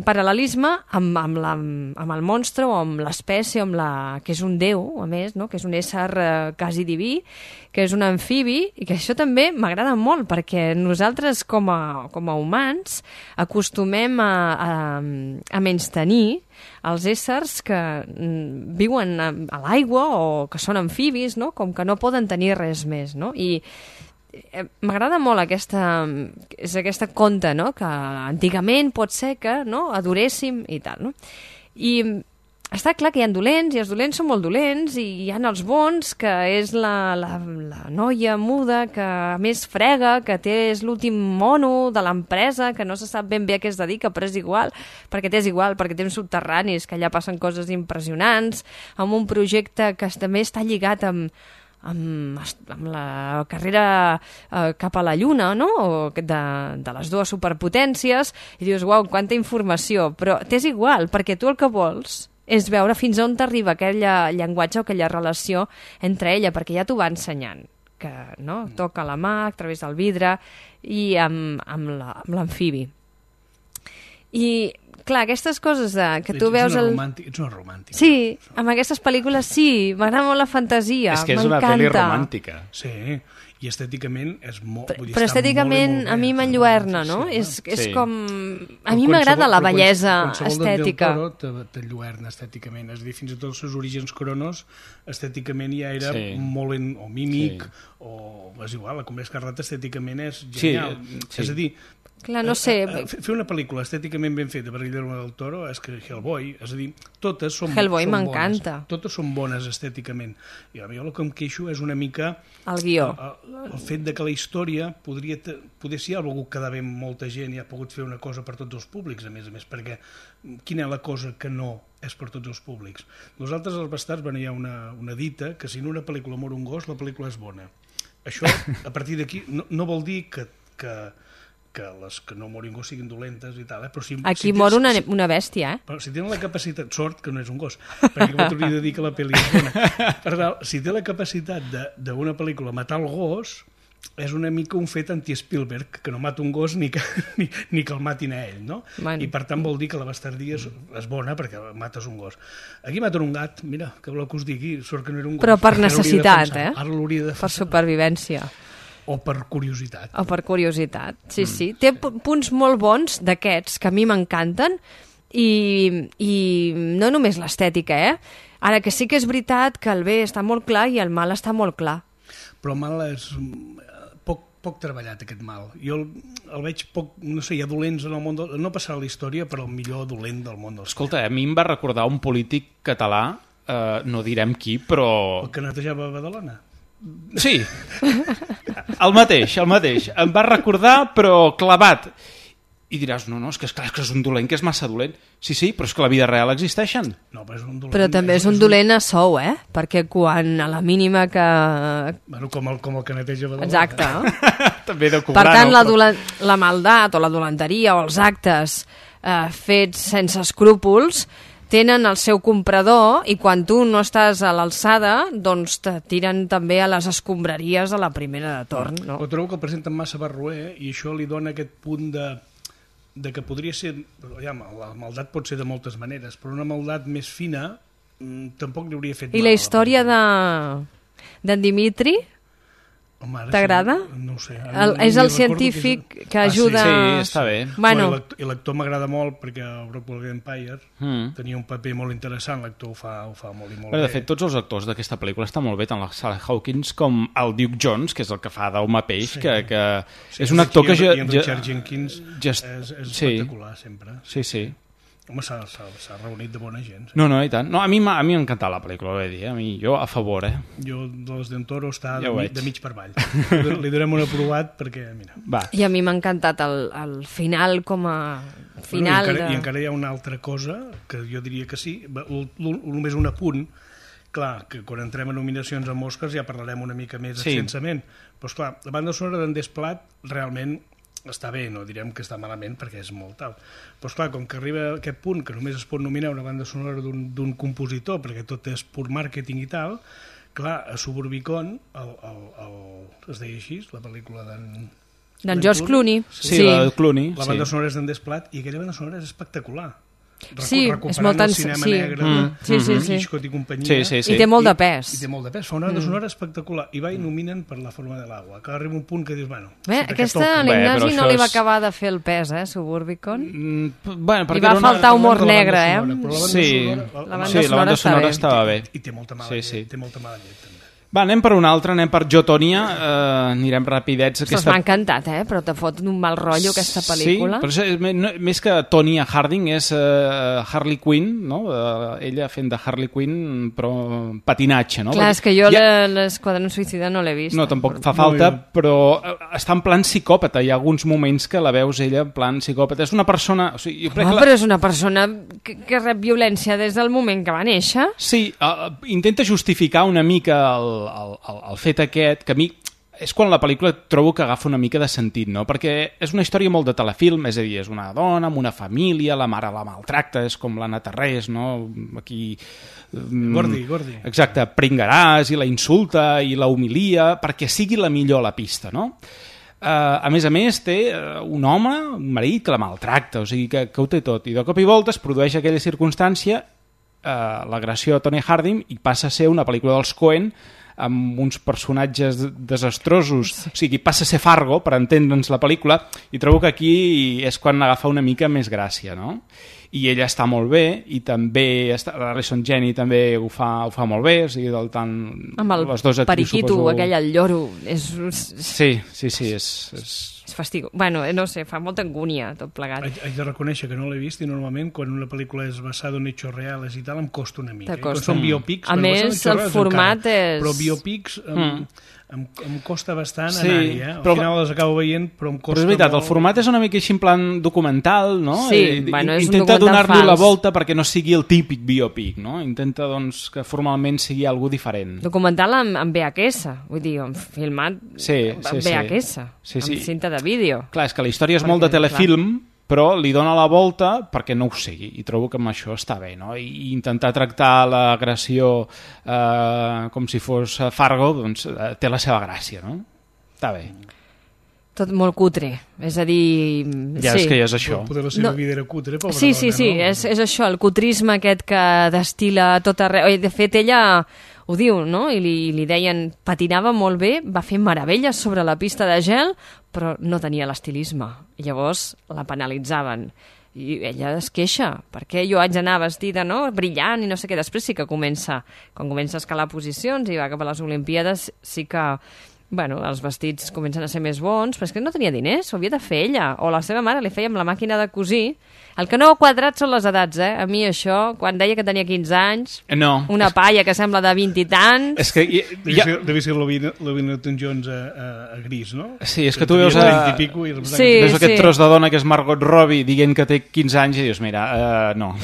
paral·lelisme amb el monstre o amb l'espècie, que és un déu, a més, no? Que és un ésser quasi diví, que és un amfibi, i que això també m'agrada molt, perquè nosaltres com a humans acostumem a menystenir els éssers que viuen a l'aigua o que són amfibis, no? Com que no poden tenir res més, no? I m'agrada molt aquesta conta, no? Que antigament pot ser que adoréssim i tal, no? I està clar que hi ha dolents, i els dolents són molt dolents, i hi ha els bons, que és la noia muda, que a més frega, que és l'últim mono de l'empresa, que no se sap ben bé a què es dedica, però és igual, perquè té uns subterranis, que allà passen coses impressionants, amb un projecte que també està lligat amb la carrera cap a la Lluna, no? O de les dues superpotències, i dius, uau, quanta informació, però t'és igual, perquè tu el que vols és veure fins on t'arriba aquell llenguatge o aquella relació entre ella, perquè ja t'ho va ensenyant, que toca la mà a través del vidre i amb l'amfibi. I clar, aquestes coses que tu veus... Ets una romàntica. Sí, amb aquestes pel·lícules sí, m'agrada molt la fantasia, m'encanta. És que és una pel·li romàntica. Sí, i estèticament és molt... Però estèticament a mi m'enlluerna, no? És com... A mi m'agrada la bellesa estètica. Qualsevol del Toro t'enlluerna estèticament, és a dir, fins i tot els seus orígens Cronos estèticament ja era molt o mímic, o és igual, la Comèdia Escarlata estèticament és genial. És a dir, clar, no sé... Fer una pel·lícula estèticament ben feta per Guillermo del Toro és que Hellboy, és a dir, totes són Hellboy m'encanta. Totes són bones estèticament. I a mi el que em queixo és una mica... El guió. El fet de que la història poder ser algú que quedava amb molta gent i ha pogut fer una cosa per tots els públics, a més, perquè quina és la cosa que no és per tots els públics? Nosaltres, als Bastards, hi ha una dita que si en una pel·lícula mor un gos, la pel·lícula és bona. Això, a partir d'aquí, no vol dir que les que no morin gos siguin dolentes i tal, però si... Aquí mor una bèstia, Però si tenen la capacitat... Sort que no és un gos, perquè m'hauria de dir que la pel·li és bona. Per tant, si té la capacitat d'una pel·lícula matar el gos, és una mica un fet anti-Spielberg, que no mata un gos ni que el matin a ell, no? Bueno. I per tant vol dir que la bastardia és bona perquè mates un gos. Aquí maten un gat, mira, que voleu que us digui, sort que no era un gos. Però per necessitat, Ara l'hauria de defensar. Per supervivència. O per curiositat. O per curiositat, sí. Té punts molt bons d'aquests que a mi m'encanten i no només l'estètica, Ara que sí que és veritat que el bé està molt clar i el mal està molt clar. Però el mal és poc treballat, aquest mal. Jo el veig poc, no sé, hi ha dolents en el món, no passarà a la història, però el millor dolent del món. Escolta, a mi em va recordar un polític català, no direm qui, però... El que netejava Badalona. Sí, el mateix. Em va recordar, però clavat. I diràs, no, és que és un dolent, que és massa dolent. Sí, però és que la vida real existeixen. No, però és un dolent. Però també és un dolent a sou, Perquè quan a la mínima que... Bueno, com el que neteja Badalona. Exacte. També de cobrar, per tant, la maldat o la dolenteria o els actes fets sense escrúpols tenen el seu comprador i quan tu no estàs a l'alçada, doncs te tiren també a les escombraries a la primera de torn. No? Però trobo que el presenten massa barroer i això li dona aquest punt de que podria ser... Ja, la maldat pot ser de moltes maneres, però una maldat més fina tampoc li hauria fet mal. I la història d'en Dimitri? T'agrada? No ho sé. És el científic que ajuda... Sí, està bé. Bueno. I l'actor m'agrada molt perquè el Rockwell Empire tenia un paper molt interessant, l'actor ho fa molt i molt bé. De fet, tots els actors d'aquesta pel·lícula estan molt bé, tant la Sally Hawkins com el Duke Jones, que és el que fa d'Home Peix, que és un actor que... I en Richard Jenkins és espectacular, sempre. Sí. Home, s'ha reunit de bona gent. No, i tant. No, a mi m'ha encantat la pel·lícula, ho dir. Jo a favor, Jo, de les d'en Toro, està de mig per avall. Li donem un aprovat perquè, mira... I a mi m'ha encantat el final com a final... I encara hi ha una altra cosa, que jo diria que sí, només un apunt. Clar, que quan entrem a nominacions amb Oscars ja parlarem una mica més extensament. Però, esclar, la banda sonora d'en Desplat realment... està bé, no direm que està malament perquè és molt tal. Però esclar, com que arriba a aquest punt que només es pot nominar una banda sonora d'un compositor perquè tot és pur màrqueting i tal, clar, a Suburbicon es deia així, la pel·lícula d'en George Clooney. Sí, la de Clooney. La banda sonora és d'en Desplat i aquella banda sonora és espectacular. Sí, és molt el cinema negre Hitchcock i companyia. I té molt de pes. I té molt de pes, fa una banda sonora espectacular. I va i nominen per La forma de l'agua, que arriba un punt que dius, bueno... Aquesta a l'Ignasi no li va acabar de fer el pes, Suburbicon. Li va faltar humor negre, Sí, la banda sonora estava bé. I té molta mala llet, també. Va, anem per una altra, anem per Jo, Tònia, anirem rapidets. M'ha encantat, però te fot un mal rotllo aquesta pel·lícula. Sí, però més que Tonya Harding és Harley Quinn, no? Ella fent de Harley Quinn, però patinatge, no? Clar, és que jo l'Esquadrón Suïcida no l'he vist. No, tampoc fa falta, però està en plan psicòpata. Hi ha alguns moments que la veus ella en plan psicòpata. És una persona... Però és una persona que rep violència des del moment que va néixer. Sí, intenta justificar una mica el fet aquest, que a mi és quan la pel·lícula trobo que agafa una mica de sentit, no? Perquè és una història molt de telefilm, és a dir, és una dona amb una família, la mare la maltracta, és com l'Anna Tarrés, no? Aquí... Gordi. Exacte, pringaràs i la insulta i la humilia perquè sigui la millor a la pista, no? A més, té un home, un marit, que la maltracta, o sigui que ho té tot, i de cop i volta es produeix aquella circumstància, l'agressió a Tonya Harding, i passa a ser una pel·lícula dels Coen amb uns personatges desastrosos, o sigui, passa a ser Fargo, per entendre'ns la pel·lícula, i trobo que aquí és quan agafa una mica més gràcia, no? I ella està molt bé, i també Allison Janney també ho fa molt bé, o sigui, del tant... Amb el periquito, aquell al lloro, Sí, és fastigo. Bueno, no sé, fa molta angúnia tot plegat. Haig de reconèixer que no l'he vist i normalment quan una pel·lícula és basada en hechos reales i tal em costa una mica. Costa. Són biopics, a més, el format és... Però biopics em costa bastant Sí, anar-hi, Al final les acabo veient, però em costa Però és veritat, molt. el format és una mica així en plan documental, no? Sí, bueno, és un intenta documental donar-li la fals. volta perquè no sigui el típic biopic, no? Intenta, doncs, que formalment sigui algú diferent. Documental amb VHS, vull dir, filmat amb VHS, amb cinta de vídeo. Clar, és que la història és molt de telefilm, però li dona la volta perquè no ho sigui, i trobo que amb això està bé, no? I intentar tractar l'agressió com si fos Fargo, doncs té la seva gràcia, no? Està bé. Tot molt cutre, és a dir... Ja és que ja és això. Poder la seva vida era cutre, pobra Sí, dona, és això, el cutrisme aquest que destila tot arreu. De fet, ella ho diu, no? I li deien, patinava molt bé, va fer meravelles sobre la pista de gel, però no tenia l'estilisme. I llavors la penalitzaven. I ella es queixa, perquè jo haig d'anar vestida, no?, brillant i no sé què. Després sí que comença, quan comença a escalar posicions i va cap a les Olimpíades, sí que... Bueno, els vestits comencen a ser més bons, però és que no tenia diners, ho havia de fer ella, o la seva mare li feia amb la màquina de cosir. El que no ha quadrat són les edats, A mi això, quan deia que tenia 15 anys, una palla que sembla de 20 i tants... És que Devia ser l'Olivia Newton-John a gris, no? Sí, és que tu veus veus aquest tros de dona que és Margot Robbie dient que té 15 anys i dius, mira, no.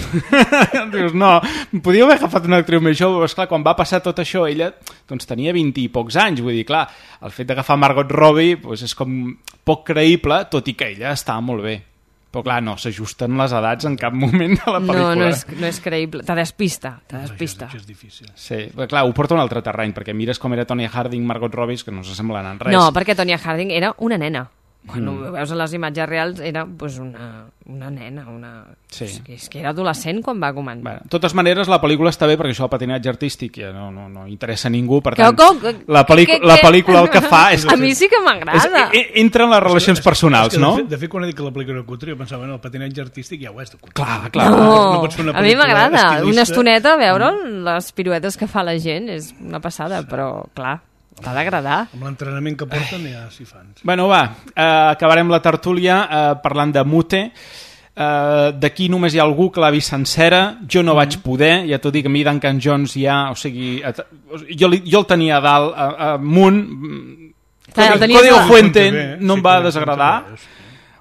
Dius, no, podíeu haver agafat una actriu més jove, però esclar, quan va passar tot això, ella doncs tenia 20 i pocs anys, vull dir, clar, el fet d'agafar Margot Robbie doncs és com poc creïble, tot i que ella estava molt bé. Però clar, no, s'ajusten les edats en cap moment de la pel·lícula. No és creïble, te despista. Això és difícil. Sí, però clar, ho porta a un altre terreny, perquè mires com era Tonya Harding, Margot Robbie, que no s'assemblen en res. No, perquè Tonya Harding era una nena. Quan ho veus a les imatges reals era pues, una nena, Sí. És que era adolescent quan va començar. Bueno, de totes maneres, la pel·lícula està bé perquè això del patinatge artístic ja no interessa a ningú, per tant, la pel·lícula el que fa és... A mi sí que m'agrada. Entra en les relacions personals, no? De fet, quan he dit que la pel·lícula era cutre, jo pensava, el patinatge artístic ja ho és de cutre. Clar. No, a mi m'agrada. Una estoneta veure les piruetes que fa la gent és una passada, però clar... T'ha d'agradar. Amb l'entrenament que porten ja s'hi fan. Bueno, va, acabarem la tertúlia parlant de Mute. D'aquí només hi ha algú que l'ha vist sencera. Jo no vaig poder, ja t'ho dic, a mi Duncan Jones ja... O sigui, jo el tenia a dalt, amunt. Código Fuente no em va desagradar.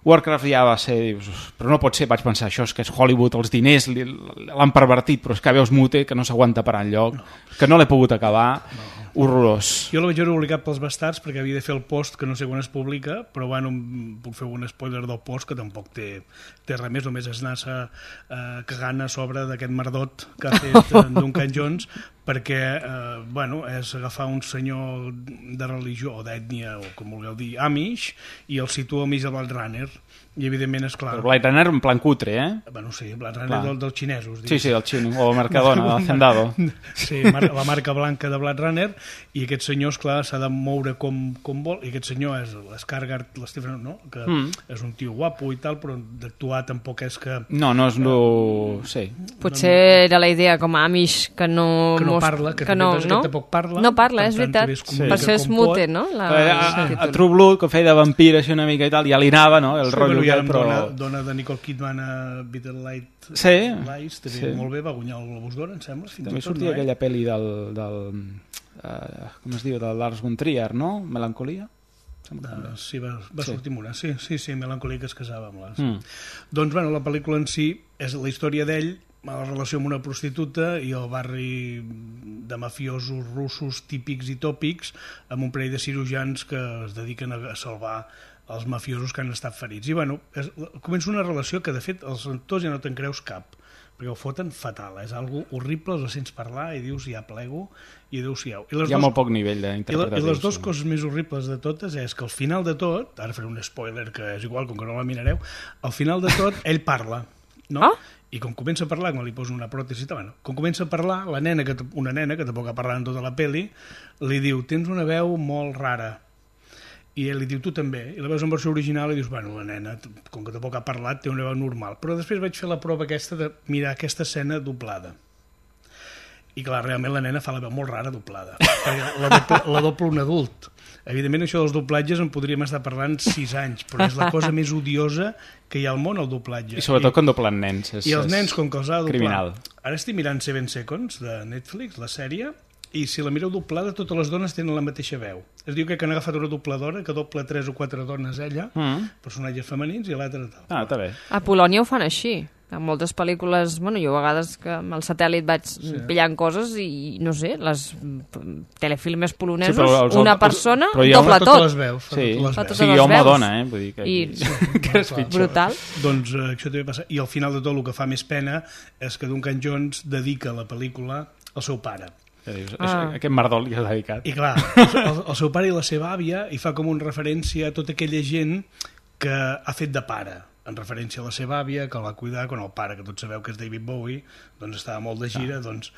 Warcraft ja va ser... Però no pot ser, vaig pensar, això és que és Hollywood, els diners l'han pervertit, però és que veus Mute, que no s'aguanta per enlloc, que no l'he pogut acabar... Horrorós. Jo la vaig veure obligat pels bastards perquè havia de fer el post que no sé quan es publica, però bueno, puc fer un spoiler del post que tampoc té res més, només és anar-se cagant a sobre d'aquest merdot que ha fet Duncan Jones, perquè bueno, és agafar un senyor de religió o d'ètnia, o com vulgueu dir, Amish, i el situa al mig de Blade Runner. I evidentment és clar... Però Blade Runner en plan cutre, Bueno, sí, Blade Runner dels xinesos. Sí, del xino, o el Mercadona, el Hacendado. Sí, la marca blanca de Blade Runner, i aquest senyor, esclar, s'ha de moure com vol, i aquest senyor és l'Skarsgård, l'Stephen, no? Que és un tio guapo i tal, però d'actuar tampoc és que... No és sí. Potser era la idea com a Amish que no parla, que tampoc parla. No parla, és veritat. Per això és mute, no? A True Blood, que feia de vampir així una mica i tal, ja li anava, no? El rotllo ja dona de Nicole Kidman a Bitter Light Lies, també molt bé, va guanyar el Globus d'Or, em sembla. També sortia aquella pel·li del com es diu, de Lars von Trier, no? Melancolia? Sí, va sortir amb una, sí, Melancolia, que es casava amb les... Doncs, bueno, la pel·lícula en si és la història d'ell, la relació amb una prostituta i el barri de mafiosos russos típics i tòpics amb un parell de cirurgians que es dediquen a salvar els mafiosos que han estat ferits. I bueno, comença una relació que de fet els actors ja no te'n creus cap, perquè ho foten fatal, és algo horrible, els sents parlar i dius ja plego i adéu-siau. Hi ha molt poc nivell d'interpretació. I les dues coses més horribles de totes és que al final de tot, ara faré un spoiler que és igual, com que no la mirareu, al final de tot ell parla, no? I com comença a parlar, quan li posen una pròtesi, com comença a parlar, una nena que tampoc ha parlat en tota la peli, li diu, tens una veu molt rara. I ell li diu, tu també. I la veus en versió original i dius, bueno, la nena, com que tampoc ha parlat, té una veu normal. Però després vaig fer la prova aquesta de mirar aquesta escena doblada. I clar, realment la nena fa la veu molt rara doblada. Perquè la doble un adult. Evidentment, això dels doblatges en podríem estar parlant 6 anys, però és la cosa més odiosa que hi ha al món, el doblatge. I sobretot quan doblen nens. I els nens, com que els ha de doblar... Criminal. Ara estic mirant 7 Seconds, de Netflix, la sèrie, I si la mireu doblada, totes les dones tenen la mateixa veu. Es diu que han agafat una dobladora que dobla 3 o 4 dones ella, personatges femenins, i l'altra tal. Ah, està bé. A Polònia ho fan així. En moltes pel·lícules, bueno, jo a vegades que amb el satèl·lit vaig pillant coses i, no sé, les telefilmes polonesos, una persona dobla tot. Totes les veus. Sí, home o dona, vull dir que és brutal. Doncs això també passa. I al final de tot el que fa més pena és que Duncan Jones dedica la pel·lícula al seu pare. Aquest merdol li ha dedicat. I clar, el seu pare i la seva àvia hi fa com una referència a tota aquella gent que ha fet de pare, en referència a la seva àvia, que el va cuidar quan el pare, que tots sabeu que és David Bowie, doncs estava molt de gira, doncs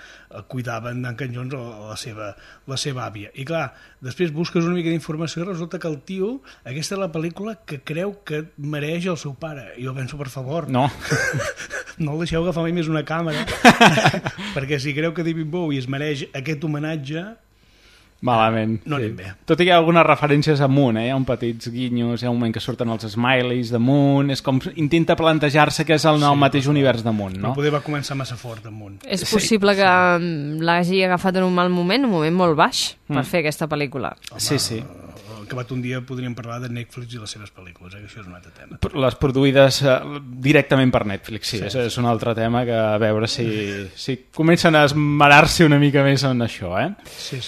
cuidava en Duncan Jones la seva àvia. I clar, després busques una mica d'informació i resulta que el tio, aquesta és la pel·lícula que creu que mereix el seu pare. I jo penso, per favor, no el deixeu agafar mai més una càmera, perquè si creu que David Bowie es mereix aquest homenatge, malament. No anem bé. Tot i que hi ha algunes referències a Moon, hi ha un petits guinyos, hi ha un moment que surten els smileys de Moon, és com intenta plantejar-se que és el mateix univers de Moon, no? Però poder va començar massa fort amb Moon. És possible que l'hagi agafat en un mal moment, un moment molt baix, per fer aquesta pel·lícula. Sí. Acabat un dia podríem parlar de Netflix i les seves pel·lícules, que això és un altre tema. Les produïdes directament per Netflix, sí. És un altre tema que a veure si comencen a esmerar-se una mica més en això, Sí.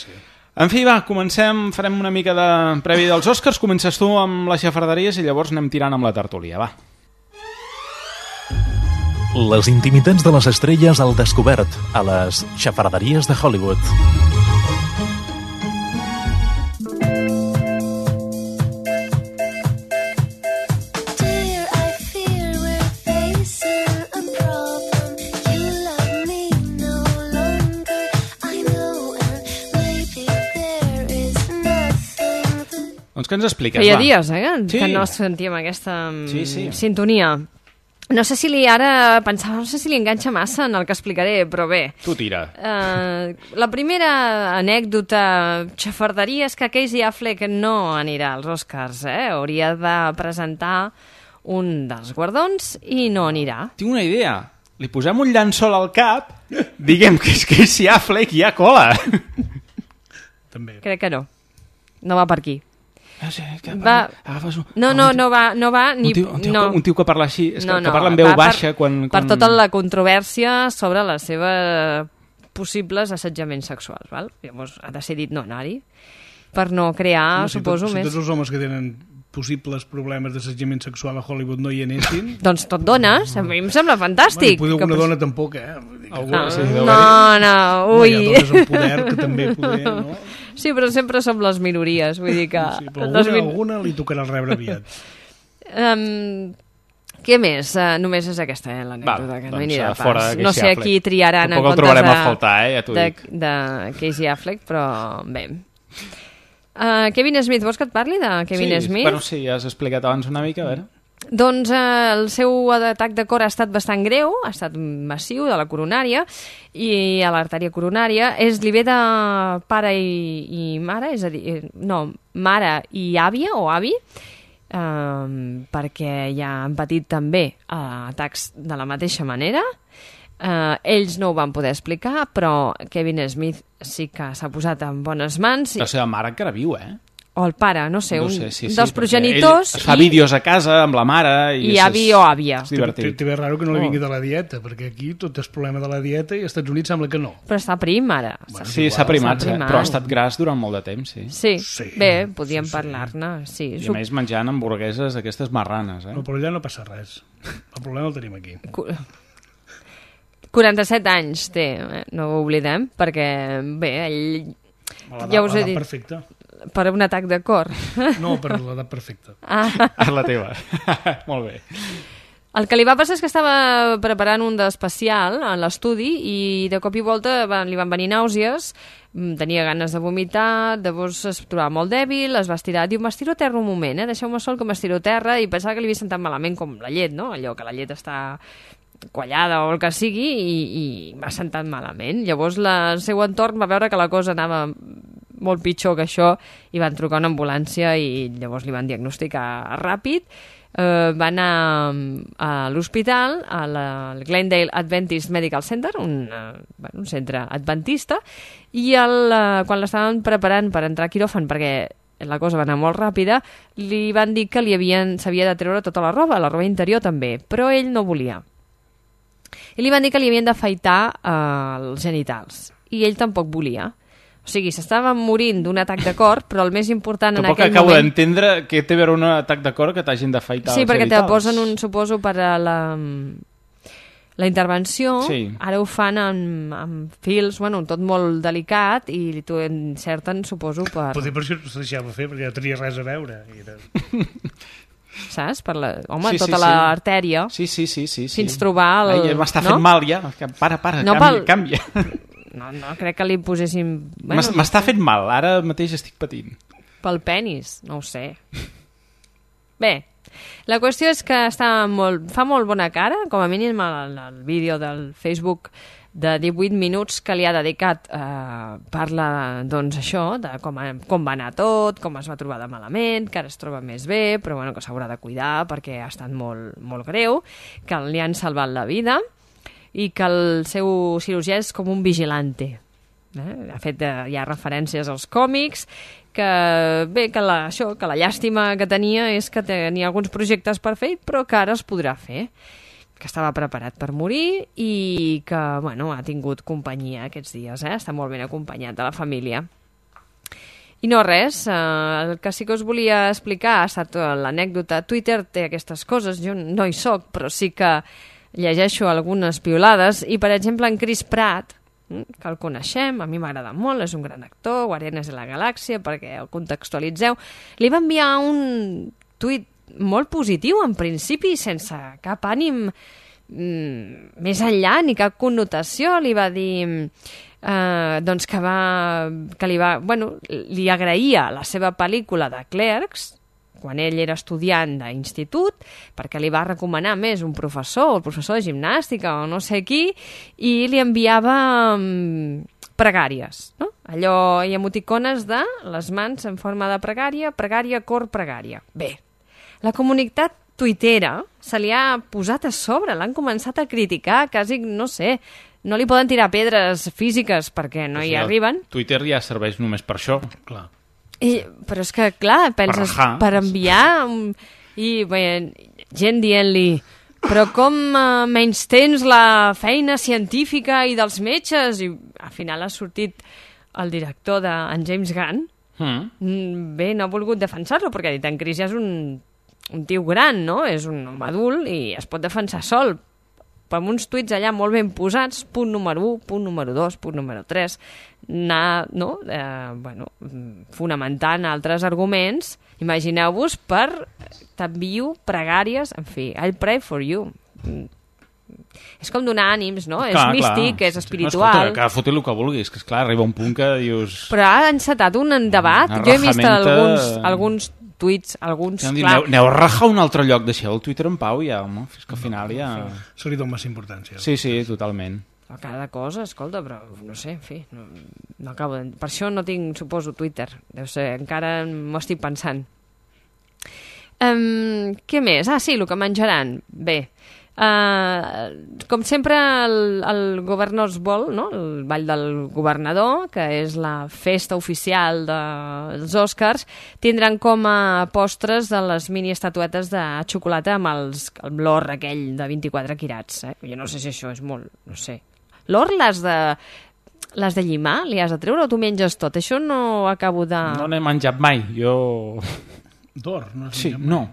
En fi, va, comencem, farem una mica de previ dels Oscars, comences tu amb les xafarderies i llavors anem tirant amb la tertúlia, va. Les intimitats de les estrelles al descobert, a les xafarderies de Hollywood. Doncs què ens expliques, Feia va? dies, que no sentíem aquesta sintonia. No sé si li enganxa massa en el que explicaré, però bé. Tu tira. La primera anècdota xafarderia és que Casey Affleck no anirà als Oscars, hauria de presentar un dels guardons i no anirà. Tinc una idea. Li posem un llençol al cap, diguem que és Casey Affleck i hi ha cola. També. Crec que no. No va per aquí. No va ni... Un tio que parla així, que parla en veu baixa per tota la controvèrsia sobre les seves possibles assetjaments sexuals, val? Llavors ha decidit no anar-hi per no crear, suposo, més... Si tots els homes que tenen possibles problemes d'assetjament sexual a Hollywood no hi anessin... Doncs tot dones, a mi em sembla fantàstic. Bueno, poder alguna dona tampoc, No, ui. Hi ha dones amb poder que també poder, no? Sí, però sempre som les minories, vull dir que... Sí, però alguna li tocarà rebre aviat. Què més? Només és aquesta, l'anècdota, que no hi anirà pas. No sé a qui triaran en comptes de Casey Affleck, però bé. Kevin Smith, vols que et parli de Kevin Smith? Bueno, sí, ja has explicat abans una mica, a veure. Doncs el seu atac de cor ha estat bastant greu, ha estat massiu, de la coronària, i a l'artèria coronària. Li ve de pare i mare, és a dir, mare i àvia o avi, perquè ja han patit també atacs de la mateixa manera. Ells no ho van poder explicar, però Kevin Smith sí que s'ha posat en bones mans. La seva mare encara viu, O el pare, no sé, dels progenitors... Es fa vídeos a casa amb la mare... I avi o àvia. És divertit. Té raro que no li vingui de la dieta, perquè aquí tot és problema de la dieta i als Estats Units sembla que no. Però està prim, ara. Sí, s'ha primat, però ha estat gras durant molt de temps, sí. Sí, bé, podíem parlar-ne, sí. I a més menjant hamburgueses d'aquestes marranes, No, però allà no passa res. El problema el tenim aquí. 47 anys té, no ho oblidem, perquè, bé, ell... Ja us he dit. Perfecte. Per un atac de cor. No, per l'edat perfecta. La teva. Molt bé. El que li va passar és que estava preparant un d'especial en l'estudi i de cop i volta li van venir nàusees, tenia ganes de vomitar, llavors es trobava molt dèbil, es va estirar, diu, m'estiro a terra un moment, deixeu-me sol que m'estiro a terra, i pensava que li havia sentat malament com la llet, no? Allò que la llet està quallada o el que sigui, i m'ha sentat malament. Llavors el seu entorn va veure que la cosa anava molt pitjor que això, i van trucar una ambulància i llavors li van diagnosticar ràpid. Va anar a l'hospital, al Glendale Adventist Medical Center, un centre adventista, i quan l'estaven preparant per entrar a quiròfan, perquè la cosa va anar molt ràpida, li van dir que s'havia de treure tota la roba interior també, però ell no volia. I li van dir que li havien d'afaitar els genitals, i ell tampoc volia. O sigui, s'estava morint d'un atac de cor, però el més important en aquell moment... Tampoc acabo d'entendre què té a veure un atac de cor que t'hagin d'afaitar els genitals. Sí, perquè te posen suposo, per a la intervenció, sí. Ara ho fan amb fils, tot molt delicat, i t'ho encerten, suposo, per... Potser per això no se deixava fer, perquè no tenia res a veure. Saps? Tota l'artèria. Sí. Fins trobar el... M'està fent mal, ja. Para, canvia. No, crec que li posessin... M'està fent mal, ara mateix estic patint. Pel penis, no ho sé. Bé, la qüestió és que fa molt bona cara, com a mínim el vídeo del Facebook de 18 minuts que li ha dedicat parla, doncs, això, de com va anar tot, com es va trobar de malament, que ara es troba més bé, però que s'haurà de cuidar perquè ha estat molt, molt greu, que li han salvat la vida i que el seu cirurgià és com un vigilante. Ha fet ja referències als còmics, que la llàstima que tenia és que tenia alguns projectes per fer, però que ara es podrà fer, que estava preparat per morir i que ha tingut companyia aquests dies, està molt ben acompanyat de la família. I no res, el que sí que us volia explicar ha estat l'anècdota. Twitter té aquestes coses, jo no hi soc, però sí que llegeixo algunes piolades, i per exemple en Chris Pratt, que el coneixem, a mi m'agrada molt, és un gran actor, Guardianes de la Galàxia, perquè el contextualitzeu, li va enviar un tuit molt positiu, en principi, sense cap ànim més enllà, ni cap connotació. Li va dir que li agraïa la seva pel·lícula de Clerks, quan ell era estudiant d'institut, perquè li va recomanar més un professor, el professor de gimnàstica o no sé qui, i li enviava pregàries, no? Allò, i emoticones de les mans en forma de pregària, cor, pregària. Bé, la comunitat tuitera se li ha posat a sobre, l'han començat a criticar, quasi, no sé, no li poden tirar pedres físiques perquè no hi arriben. Twitter ja serveix només per això. Clar. Però és que, clar, penses, per enviar... gent dient-li, però com menystens la feina científica i dels metges? I al final ha sortit el director d'en James Gunn. Bé, no ha volgut defensar-lo, perquè ha dit, en Chris ja és un tio gran, no? És un home adult i es pot defensar sol. Però amb uns tuits allà molt ben posats, punt número 1, punt número 2, punt número 3, fonamentant altres arguments. Imagineu-vos, t'envio pregàries, en fi, I'll pray for you. És com donar ànims, no? És místic, és espiritual. Que foti el que vulguis, que esclar, arriba un punt que dius... Però ha encetat un debat. Jo he vist alguns tuits, alguns... Aneu a rajar un altre lloc, deixeu el Twitter en pau ja, home. Fins que al final ja... Se li dona massa importància. Sí, totalment. A cada cosa, escolta, però no sé, en fi, no acabo de... Per això no tinc, suposo, Twitter. Deu ser, encara m'ho estic pensant. Què més? Sí, el que menjaran. Bé, com sempre el Governor's Ball, no? El ball del governador, que és la festa oficial dels Oscars, tindran com a postres de les mini estatuetes de xocolata amb l'or aquell de 24 quirats. Jo no sé si això és molt, no sé. L'or les de llimar li has de treure o tu menges tot? Això no acabo de... No n'he menjat mai, jo... D'or? No has menjat mai?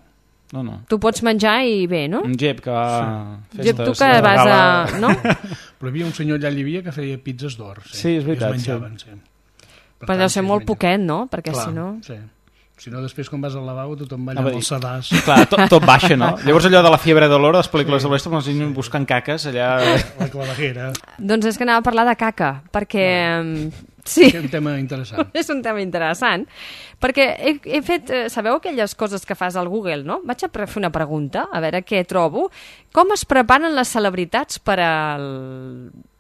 No. Tu pots menjar i bé, no? Un gep que va a festes... Gep, tu que vas a... No? Però hi havia un senyor allà a Llívia que feia pizzas d'or. Sí, és veritat. Es menjaven, sí. Però deu ser molt poquet, no? Perquè si no... Sí. Si no, després, quan vas al lavabo, tothom balla amb el sedàs. Clar, tot baixa, no? Llavors allò de la fiebre de l'or, les pel·lícules de l'oest, com els nens buscant caques, allà... La clavajera. Doncs és que anava a parlar de caca, perquè... Sí. És un tema interessant. És un tema interessant, perquè he fet... Sabeu aquelles coses que fas al Google, no? Vaig a fer una pregunta, a veure què trobo. Com es preparen les celebritats per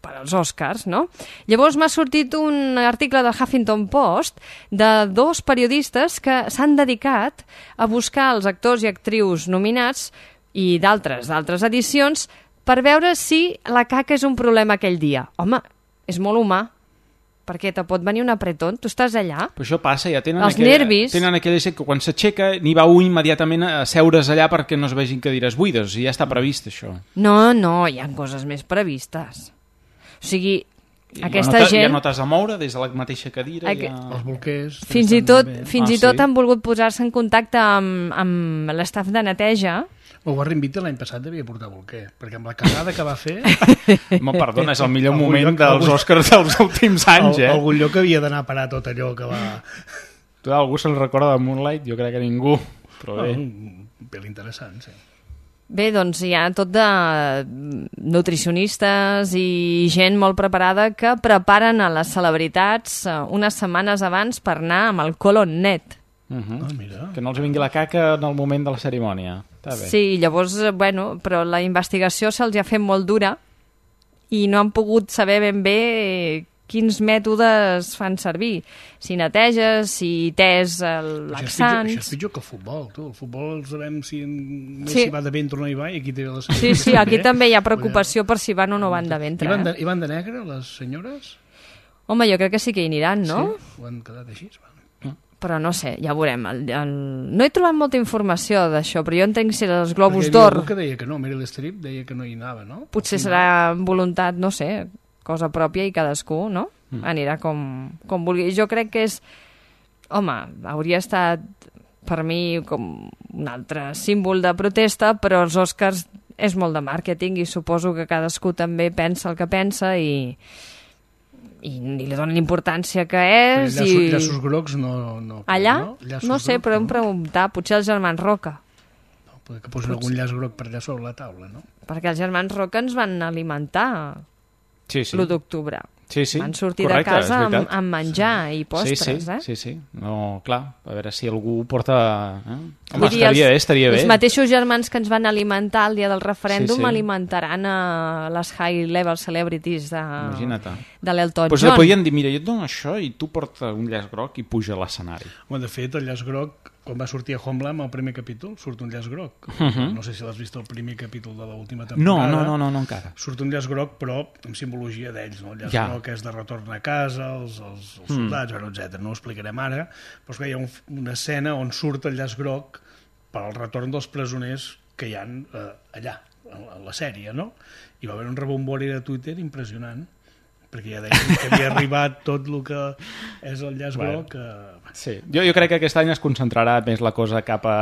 per als Oscars, no? Llavors m'ha sortit un article del Huffington Post de 2 periodistes que s'han dedicat a buscar els actors i actrius nominats i d'altres edicions per veure si la caca és un problema aquell dia. Home, és molt humà, perquè te pot venir un apretón, tu estàs allà. Però això passa, ja tenen nervis. Tenen aquella gent que quan s'aixeca n'hi va un immediatament a seure's allà perquè no es vegin cadires buides, i ja està previst això. No, hi ha coses més previstes. O sigui, aquesta gent... Ja no t'has de moure des de la mateixa cadira. Els bolquers... Fins i tot han volgut posar-se en contacte amb l'estaf de neteja. El Warren Beatty l'any passat devia portar bolquer, perquè amb la cagada que va fer... Home, perdona, és el millor moment dels Oscars dels últims anys, Algun lloc havia d'anar a parar tot allò que va... Algú se'n recorda de Moonlight? Jo crec que ningú, però bé. Un pel interessant, sí. Bé, doncs hi ha tot de nutricionistes i gent molt preparada que preparen a les celebritats unes setmanes abans per anar amb el colon net. Mira. Que no els vingui la caca en el moment de la cerimònia. Sí, llavors, però la investigació se'ls ha fet molt dura i no han pogut saber ben bé quins mètodes fan servir. Si neteges, si tés laxants... Això és pitjor que el futbol, tu. El futbol el sabem si va de ventre o no hi va, i aquí té la... Sí, aquí també hi ha preocupació per si van o no van de ventre. I van de negre, les senyores? Home, jo crec que sí que hi aniran, no? Sí, ho han quedat així, però no sé, ja veurem. No he trobat molta informació d'això, però jo entenc si els Globus d'Or... Perquè que deia que no, Meryl Streep deia que no hi anava, no? Potser serà voluntat, no sé, cosa pròpia i cadascú, no? Anirà com vulgui. Jo crec que és... Home, hauria estat per mi com un altre símbol de protesta, però els Oscars és molt de màrqueting i suposo que cadascú també pensa el que pensa i li donen l'importància que és. Llaços grocs no... Allà? No sé, però hem preguntat, potser els germans Roca. Que posin algun llaç groc per allà sobre la taula, no? Perquè els germans Roca ens van alimentar l'1 d'octubre. Sí, van sortir de casa amb menjar i postres, Sí. No, clar, a veure si algú porta... Home, estaria bé. Els mateixos germans que ens van alimentar el dia del referèndum alimentaran a les high-level celebrities de l'Elton John. Doncs li podien dir, mira, jo et dono això i tu porta un llaç groc i puja a l'escenari. De fet, el llaç groc, quan va sortir a Homeland, el primer capítol, surt un llaç groc. No sé si l'has vist el primer capítol de l'última temporada. No, encara. Surt un llaç groc, però amb simbologia d'ells, no? El llaç groc és de retorn a casa, els soldats, etc. No ho explicarem ara, però hi ha una escena on surt el llaç groc per al retorn dels presoners que hi ha allà, a la sèrie, no? I va haver un rebombori de Twitter impressionant, perquè ja deien que havia arribat tot el que és el llaç groc. Sí. Jo crec que aquest any es concentrarà més la cosa cap a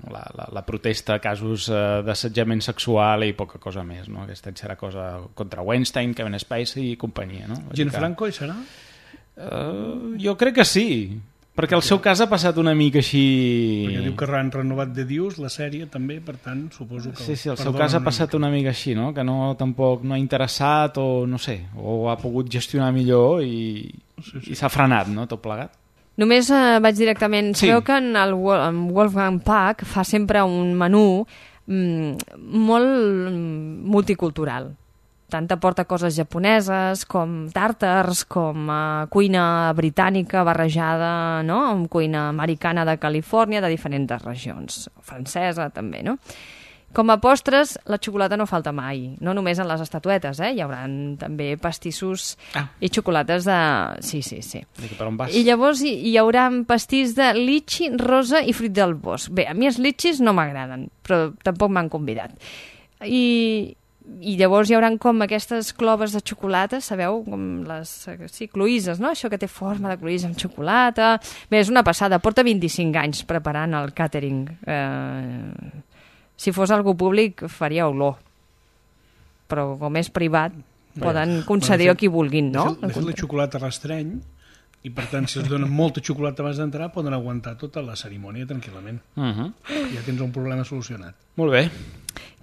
la protesta a casos d'assetjament sexual i poca cosa més, no? Aquest any serà cosa contra Weinstein, Kevin Spacey i companyia, no? Gianfranco hi serà? Jo crec que sí, perquè el seu cas ha passat una mica així... Perquè diu que han renovat de Dius la sèrie també, per tant, suposo que... Sí, el seu cas ha passat una mica així, no? Que tampoc no ha interessat o no sé, o ha pogut gestionar millor i s'ha frenat, no?, tot plegat. Només vaig directament... Sabeu que en Wolfgang Puck fa sempre un menú molt multicultural. Tant aporta coses japoneses, com tàrtars, com cuina britànica barrejada, no?, amb cuina americana de Califòrnia, de diferents regions, francesa també, no? Com a postres, la xocolata no falta mai, no només en les estatuetes, hi haurà també pastissos i xocolates de... Sí. Per on vas? I llavors hi haurà pastís de litxi, rosa i fruit del bosc. Bé, a mi els litxis no m'agraden, però tampoc m'han convidat. I llavors hi haurà com aquestes cloves de xocolata, sabeu? Com les cloïses, no? Això que té forma de cloïsa amb xocolata... Bé, és una passada. Porta 25 anys preparant el càtering. Si fos algú públic faria olor. Però com és privat poden concedir a qui vulguin, no? De fet, la xocolata restreny i per tant, si es donen molta xocolata abans d'entrar, poden aguantar tota la cerimònia tranquil·lament. Ja tens un problema solucionat. Molt bé.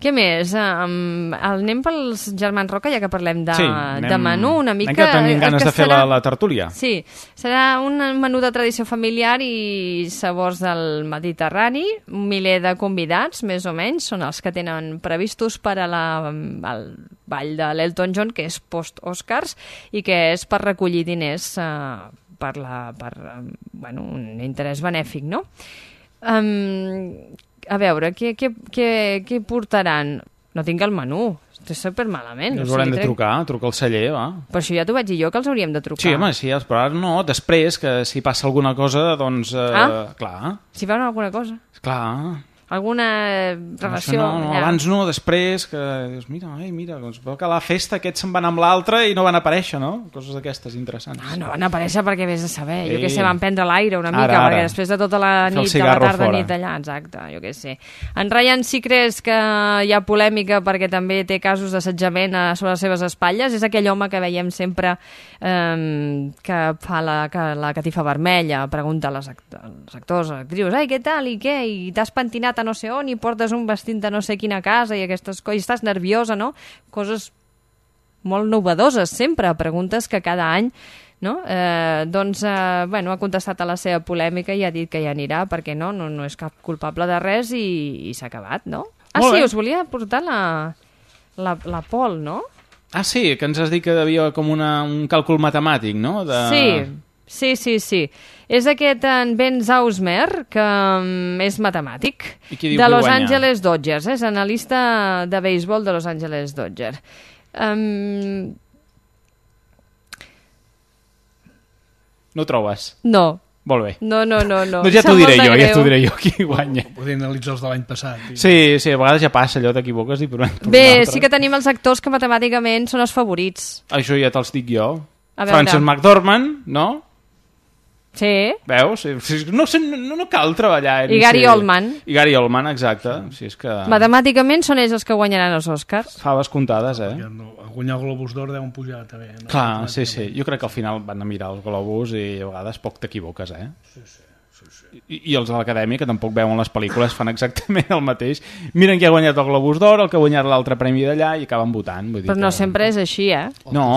Què més? Anem pels germans Roca, ja que parlem de menú, una mica... Que tenim ganes de fer la tertúlia. Sí, serà un menú de tradició familiar i sabors del Mediterrani, un miler de convidats, més o menys, són els que tenen previstos per a ball de l'Elton John, que és post-Oscars i que és per recollir diners per un interès benèfic, no? A veure, què portaran? No tinc el menú. Estic supermalament. Ens haurem de trucar al celler, va. Per això ja t'ho vaig dir jo, que els hauríem de trucar. Sí, home, sí, però ara no, després, que si passa alguna cosa, doncs... Clar. Si veuen alguna cosa. Clar. Alguna relació... No, abans no, després, que dius, mira, doncs veu que a la festa aquests se'n van amb l'altre i no van aparèixer, no? Coses d'aquestes interessants. No van aparèixer perquè vés a saber. Jo què sé, van prendre l'aire una mica, perquè després de tota la nit, de la tarda nit allà, exacte, jo què sé. En Ryan Seacrest, que hi ha polèmica perquè també té casos d'assetjament sobre les seves espatlles, és aquell home que veiem sempre que fa la catifa vermella, pregunta als actors, actrius, què tal, i què, i t'has pentinat a no sé on i portes un vestit de no sé quina casa i aquestes coses, i estàs nerviosa, no? Coses molt novedoses sempre, preguntes que cada any, no? Ha contestat a la seva polèmica i ha dit que hi anirà perquè no és cap culpable de res i s'ha acabat, no? Sí, us volia portar la Pol, no? Sí, que ens has dit que devia com un càlcul matemàtic, no? Sí. És aquest en Ben Zausmer, que és matemàtic, de Los Angeles Dodgers, és analista de béisbol de Los Angeles Dodgers. No trobes? No. Molt bé. No. Doncs ja t'ho diré jo qui guanya. Podem analitzar els de l'any passat. Sí, a vegades ja passa allò, t'equivoques i per Bé, sí que tenim els actors que matemàticament són els favorits. Això ja te'ls dic jo. Frances McDormand, no? Sí. Veus? No cal treballar. I Gary Oldman. I Gary Oldman, exacte. Sí, és que... Matemàticament són ells els que guanyaran els Oscars. Faves comptades, A guanyar el Globus d'Or deuen pujar també. No? Clar, sí. Jo crec que al final van a mirar els Globus i a vegades poc t'equivoques, Sí. I els de l'Acadèmia, que tampoc veuen les pel·lícules, fan exactament el mateix. Miren qui ha guanyat el Globus d'Or, el que ha guanyat l'altre premi d'allà i acaben votant. Però no sempre és així, No,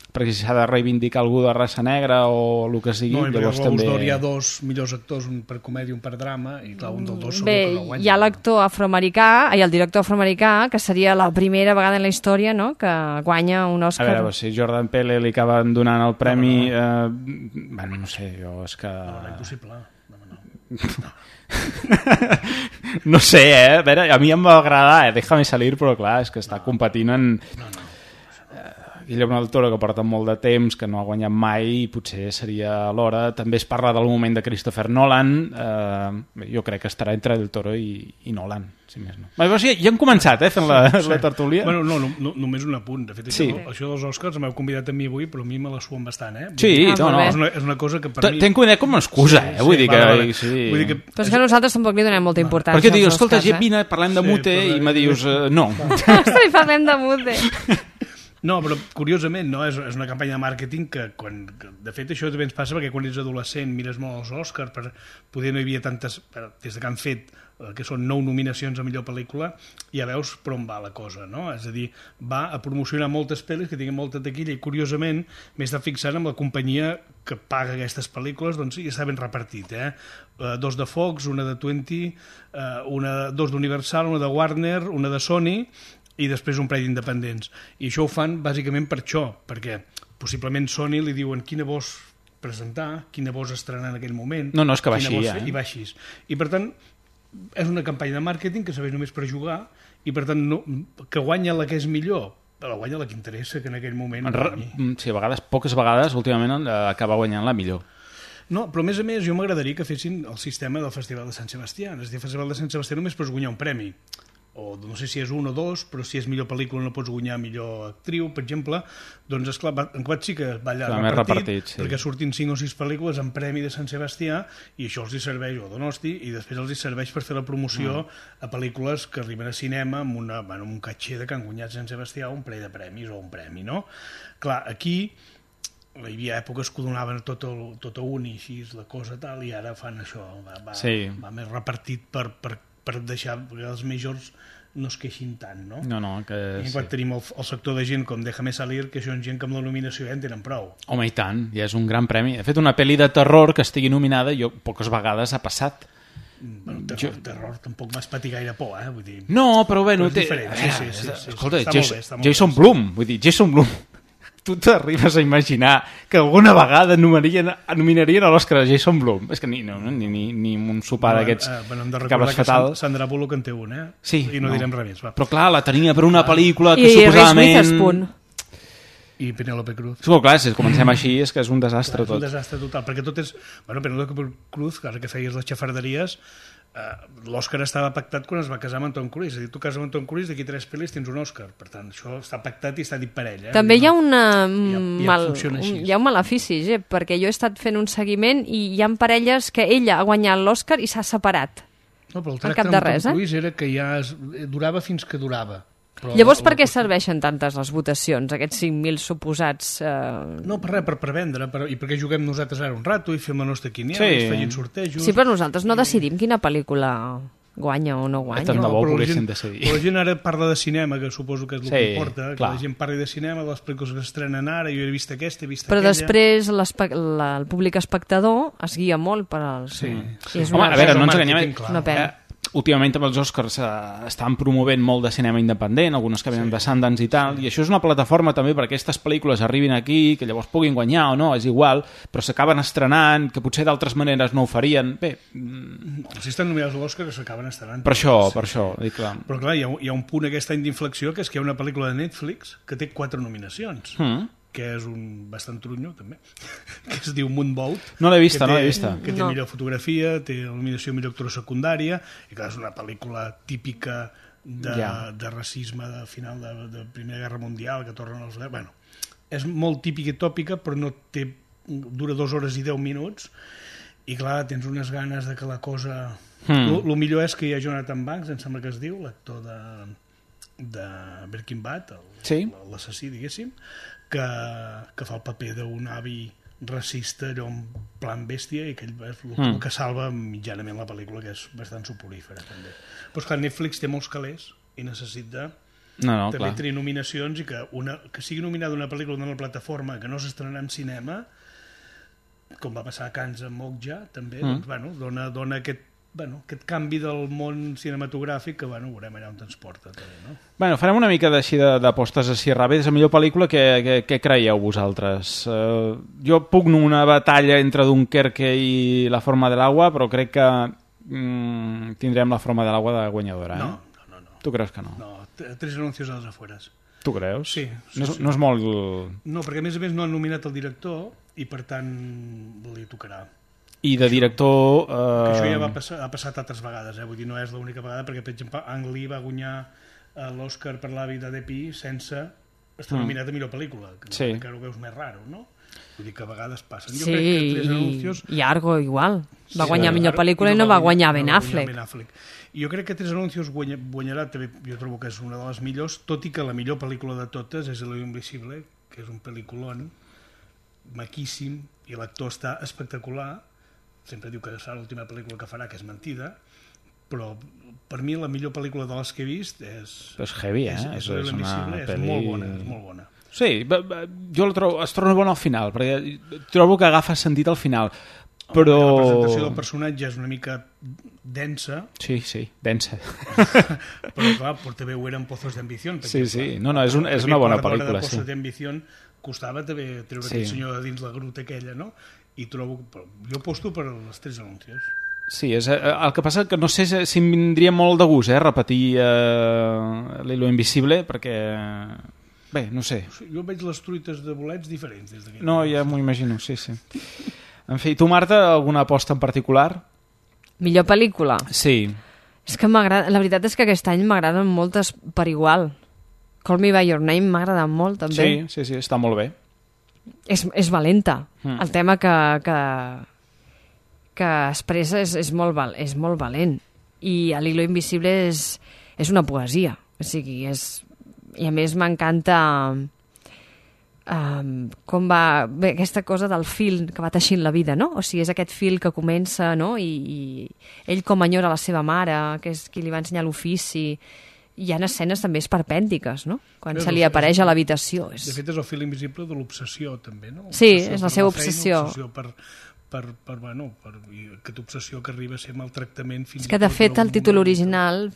perquè si s'ha de reivindicar algú de raça negra o el que sigui, llavors també... No, hi ha dos millors actors, un per comèdia i un per drama, i clar, un dels dos segur que no guanya. Hi ha l'actor afroamericà, i el director afroamericà, que seria la primera vegada en la història, no?, que guanya un Òscar. A veure, si Jordan Peele li acaben donant el premi... no sé, jo és que... No, impossible. No sé, a veure, a mi em va agradar, Déjame salir, però clar, és que està competint en... Guillermo del Toro, que porta molt de temps, que no ha guanyat mai, i potser seria l'hora. També es parla del moment de Christopher Nolan. Jo crec que estarà entre del Toro i Nolan, si més no. Però sí, ja hem començat, fent la tertúlia. Bueno, no, només un apunt. De fet, això dels Oscars m'heu convidat a mi avui, però a mi me la suen bastant, Sí, no. És una cosa que per mi... Tenc una com a excusa, vull dir que... Però és que nosaltres tampoc li donem molta importància. Perquè dius, escolta, vine, parlem de Mute, i me dius, no. Ostres, parlem de Mute. No, però curiosament, no? És una campanya de màrqueting que, de fet, això també ens passa perquè quan ets adolescent mires molt els Oscars, poder no hi havia tantes... Des que han fet, que són 9 nominacions a millor pel·lícula, ja veus per on va la cosa, no? És a dir, va a promocionar moltes pel·lis que tinguin molta taquilla i, curiosament, m'he estat fixant amb la companyia que paga aquestes pel·lícules, doncs ja està ben repartit, 2 de Fox, una de 20, 2 d'Universal, una de Warner, una de Sony, i després un parell d'independents. I això ho fan bàsicament per això, perquè possiblement Sony li diuen quina vols presentar, quina vols estrenar en aquell moment. No, és que va així, I va així. I per tant, és una campanya de màrqueting que serveix només per jugar i per tant que guanya la que és millor, la guanya la que interessa, que en aquell moment... Sí, a vegades, poques vegades, últimament acaba guanyant la millor. No, però a més, jo m'agradaria que fessin el sistema del Festival de Sant Sebastià. És a dir, el Festival de Sant Sebastià només pots guanyar un premi. O no sé si és un o dos, però si és millor pel·lícula no pots guanyar millor actriu, per exemple, doncs esclar, en quart sí que va allà repartit, perquè surtin 5 o 6 pel·lícules en premi de Sant Sebastià i això els hi serveix, o Donosti, i després els hi serveix per fer la promoció a pel·lícules que arriben a cinema amb un catxer de que han guanyat Sant Sebastià un parell de premis o un premi, no? Clar, aquí hi havia èpoques que ho donaven tot a un i així la cosa tal, i ara fan això, va més repartit per deixar que els majors no es queixin tant, no? I quan tenim el sector de gent com Déjame salir, que són gent que amb la nominació ja en tenen prou. Home, i tant, ja és un gran premi. De fet, una pel·li de terror que estigui nominada, poques vegades ha passat. Bueno, terror tampoc m'has patit gaire por, vull dir... No, però bé, és diferent. Sí. Escolta, Jason Blum, vull dir, Jason Blum, tu t'arribes a imaginar que alguna vegada nominarien a l'Oscar a Jason Blum? És que ni un sopar d'aquests cabres fatals. Que Sandra Bullock en té un, Sí. I no direm res més, va. Però clar, la tenia per una pel·lícula que I suposadament... Reese Witherspoon. I Penélope Cruz. Sí, clar, si comencem així és que és un desastre tot. És un desastre total, perquè tot és... Bueno, Penélope Cruz, ara que feies les xafarderies, l'Òscar estava pactat quan es va casar amb en Tom Cruise. És a dir, tu cases amb en Tom Cruise, d'aquí 3 pel·lis tens un Òscar. Per tant, això està pactat i està dit per ell. També hi ha hi ha un malefici, perquè jo he estat fent un seguiment i hi ha parelles que ella ha guanyat l'Òscar i s'ha separat. No, però el tracte amb Tom Cruise era que ja durava fins que durava. Però llavors, per què serveixen tantes les votacions, aquests 5.000 suposats... No, per res, per vendre, i perquè juguem nosaltres ara un rato i fem la nostra quiniela, i feien sortejos... Sí, però nosaltres no decidim quina pel·lícula guanya o no guanya. Tant de bo poguéssim decidir. Però la gent ara parla de cinema, que suposo que és el que importa, que la gent parli de cinema, de les pel·lícules que s'estrenen ara, jo he vist aquesta, he vist aquella... Però després el públic espectador es guia molt per als... Sí. Home, a veure, no ens enganyem... Una pena. Últimament amb els Oscars estan promovent molt de cinema independent, algunes que venen de Sundance i tal, i això és una plataforma també perquè aquestes pel·lícules arribin aquí, que llavors puguin guanyar o no, és igual, però s'acaben estrenant, que potser d'altres maneres no ho farien. Bé... Si estan nominats a l'Oscar, s'acaben estrenant. Per això, dic clar. Però clar, hi ha un punt aquest any d'inflexió, que és que hi ha una pel·lícula de Netflix que té 4 nominacions. Que és un bastant trunyo, també, que es diu Moonboat. No l'he vista, Que té millor fotografia, té nominació millor actora secundària, i clar, és una pel·lícula típica de racisme de final de Primera Guerra Mundial, que tornen els... Bueno, és molt típica i tòpica, però no té... dura 2 hores i 10 minuts, i clar, tens unes ganes de que la cosa... Lo millor és que hi ha Jonathan Banks, em sembla que es diu, l'actor de Breaking Bad, l'assassí, diguéssim, que fa el paper d'un avi racista, allò en plan bèstia, i que ell és el que salva mitjanament la pel·lícula, que és bastant soporífera també. Però esclar, Netflix té molts calés i necessita també tenir nominacions, i que sigui nominada una pel·lícula d'una plataforma que no s'estrenarà en cinema, com va passar a Cannes amb Okja també, doncs, dona aquest canvi del món cinematogràfic que, veurem allà on ens porta també, no? Farem una mica d'apostes així ràpides. La millor pel·lícula, què creieu vosaltres? Jo pugno una batalla entre Dunkerque i La forma de l'agua, però crec que tindrem La forma de l'agua de guanyadora. No. Tu creus que no? No, 3 anuncios a les afueres. Tu creus? Sí. No és molt... No, perquè a més no han nominat el director i per tant li tocarà. I de director... Que això ja ha passat altres vegades, vull dir, no és l'única vegada, perquè, per exemple, Ang Lee va guanyar l'Oscar per La vida de Pi sense estar nominat a millor pel·lícula, que encara ho veus més raro, no? Vull dir que a vegades passen. Jo crec que 3 anuncios... I Argo igual, va guanyar millor pel·lícula i no va guanyar Ben Affleck. Jo crec que 3 anuncios guanyarà, també jo trobo que és una de les millors, tot i que la millor pel·lícula de totes és Lo Invisible, que és un pel·lículon maquíssim, i l'actor està espectacular. Sempre diu que serà l'última pel·lícula que farà, que és mentida, però per mi la millor pel·lícula de les que he vist és... És heavy, és una pel·li... És molt bona. Sí, jo es torna bona al final, perquè trobo que agafa sentit al final, però... La presentació del personatge és una mica densa. Sí, densa. Però clar, també ho era en Pozos de Ambición. Sí, no, és una bona pel·lícula. Pozos de Ambición costava també treure aquell senyor de dins la gruta aquella, no? I trobo... Jo aposto per els 3 anuncios. Sí, el que passa que no sé si em vindria molt de gust repetir Lo Invisible, perquè... Bé, no sé. Jo veig les truites de bolets diferents des d'aquí. No, ja m'ho imagino, sí. En fi, tu, Marta, alguna aposta en particular? Millor pel·lícula? Sí. És que m'agrada... La veritat és que aquest any m'agraden moltes per igual. Call Me By Your Name m'ha agradat molt, també. Sí, està molt bé. És valenta. El tema que expressa és molt valent. I L'Hilo Invisible és una poesia. O sigui, i a més m'encanta com va... Bé, aquesta cosa del fil que va teixint la vida, no? O sigui, és aquest fil que comença, no? I ell com enyora la seva mare, que és qui li va ensenyar l'ofici... Hi ha escenes també esperpèntiques, no? Quan se li apareix a l'habitació. De fet, és el fil invisible de l'obsessió, també, no? Sí, és la seva obsessió. L'obsessió aquesta obsessió que arriba a ser maltractament fins és que de fet el títol original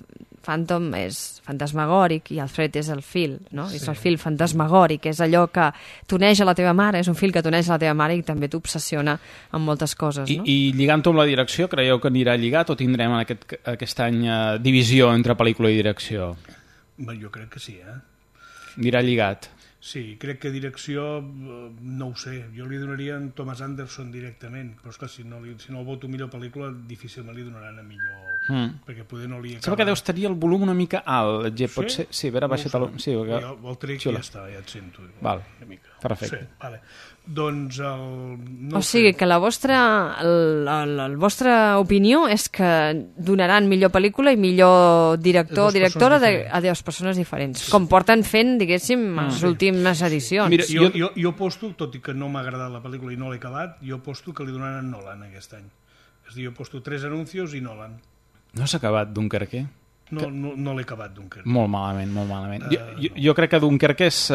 Phantom és fantasmagòric i el fred és el fil, no? És el fil fantasmagòric, és allò que t'uneix a la teva mare, és un fil que t'uneix a la teva mare i també t'obsessiona amb moltes coses, no? I lligant-ho amb la direcció, creieu que anirà lligat o tindrem aquest any divisió entre pel·lícula i direcció? Jo crec que sí, Anirà lligat. Sí, crec que direcció, no ho sé, jo li donaria a Thomas Anderson directament, però esclar, si no el voto millor pel·lícula, difícilment li donaran a millor, perquè poder no li acaba... Sembla que deus tenir el volum una mica alt, pot ser? Sí, a veure, baixa't el... Sí, el trec ja està, ja et sento. Val, perfecte. Sí, vale. Doncs o sigui que la vostra opinió és que donaran millor pel·lícula i millor director o directora a dues persones diferents, com porten fent, diguéssim, les últimes edicions. Mira, jo aposto, tot i que no m'ha agradat la pel·lícula i no l'he acabat, jo aposto que li donaran Nolan aquest any. És a dir, jo aposto 3 anuncios i Nolan. No s'ha acabat Dunkerque? No l'he acabat Dunkerque. Molt malament. Jo crec que Dunkerque és...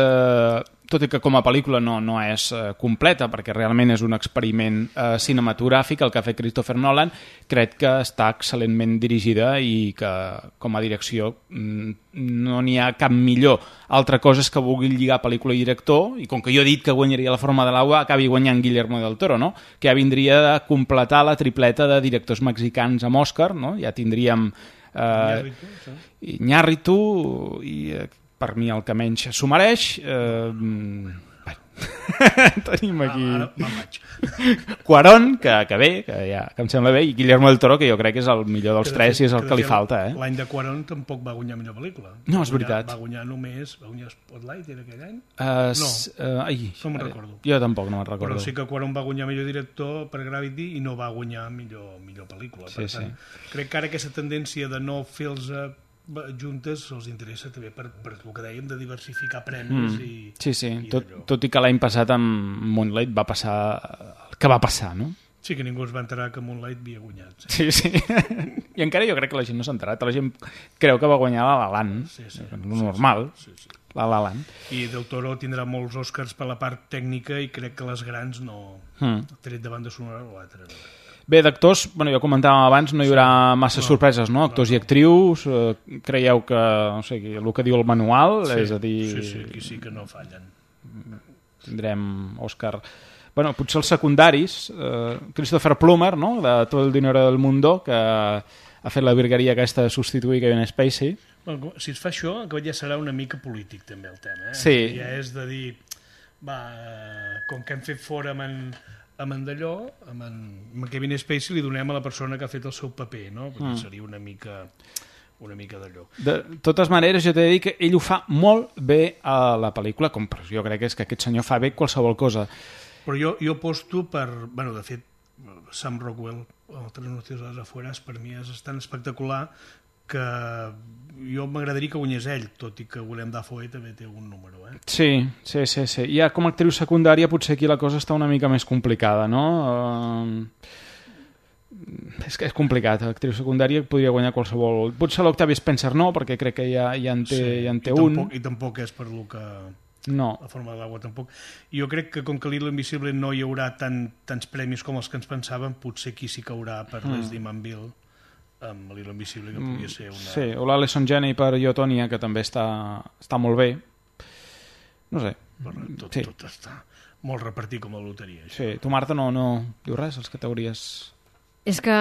tot i que com a pel·lícula no és completa, perquè realment és un experiment cinematogràfic el que ha fet Christopher Nolan, crec que està excel·lentment dirigida i que com a direcció no n'hi ha cap millor. Altra cosa és que vulgui lligar pel·lícula i director, i com que jo he dit que guanyaria La forma de l'aigua, acabi guanyant Guillermo del Toro, no? Que ja vindria de completar la tripleta de directors mexicans amb Òscar, no? Ja tindríem Iñárritu i per mi el que menys s'ho mereix. Tenim aquí Cuarón, que bé, que em sembla bé, i Guillermo del Toro, que jo crec que és el millor dels tres i és el que li falta. L'any de Cuarón tampoc va guanyar millor pel·lícula. No, és veritat. Va guanyar Spotlight, era aquell any? No me'n recordo. Jo tampoc no me'n recordo. Però sí que Cuarón va guanyar millor director per Gravity i no va guanyar millor pel·lícula. Per tant, crec que ara aquesta tendència de no fer-los juntes els interessa també per el que dèiem de diversificar premis tot i que l'any passat amb Moonlight va passar el que va passar, no? Sí, que ningú es va enterar que Moonlight havia guanyat. Sí. I encara jo crec que la gent no s'ha enterat, la gent creu que va guanyar La La Land, normal. La La Land. I Del Toro tindrà molts Oscars per la part tècnica i crec que les grans no tret de banda sonora o l'altra. Bé, d'actors, ja comentàvem abans, no hi haurà massa sorpreses, no? Actors i actrius, creieu que, no sé, el que diu el manual, és a dir... Sí, aquí sí que no fallen. Tindrem Òscar... potser els secundaris, Christopher Plummer, no?, de Tot el dinero del mundo, que ha fet la virgueria aquesta de substituir Kevin Spacey. Si es fa això, ja serà una mica polític, també, el tema. Sí. Ja és de dir, com que hem fet fora amb en Dallò, amb en Kevin Spacey li donem a la persona que ha fet el seu paper, no? Perquè seria una mica d'allò. De totes maneres, jo t'he de dir que ell ho fa molt bé a la pel·lícula, com jo crec que és que aquest senyor fa bé qualsevol cosa. Però jo aposto per... de fet, Sam Rockwell, Tres noticias a las afueras, per mi és tan espectacular que jo m'agradaria que guanyés ell, tot i que Willem Dafoe també té un número. Sí. Ja com a actriu secundària potser aquí la cosa està una mica més complicada, no? És que és complicat, l'actriu secundària podria guanyar qualsevol... Potser l'Octavia Spencer no, perquè crec que ja en té un. I tampoc és per lo que... No. La forma de l'aigua tampoc. Jo crec que com que l'Hilo Invisible no hi haurà tants premis com els que ens pensàvem, potser qui sí caurà per Leslie Manville amb l'Hilo Invisible, que podria ser una... Sí, o l'Alison Janney per Io, Tonya, que també està molt bé. No sé. Tot està molt repartit com a loteria. Això. Sí, tu, Marta, no diu res, les categories... És que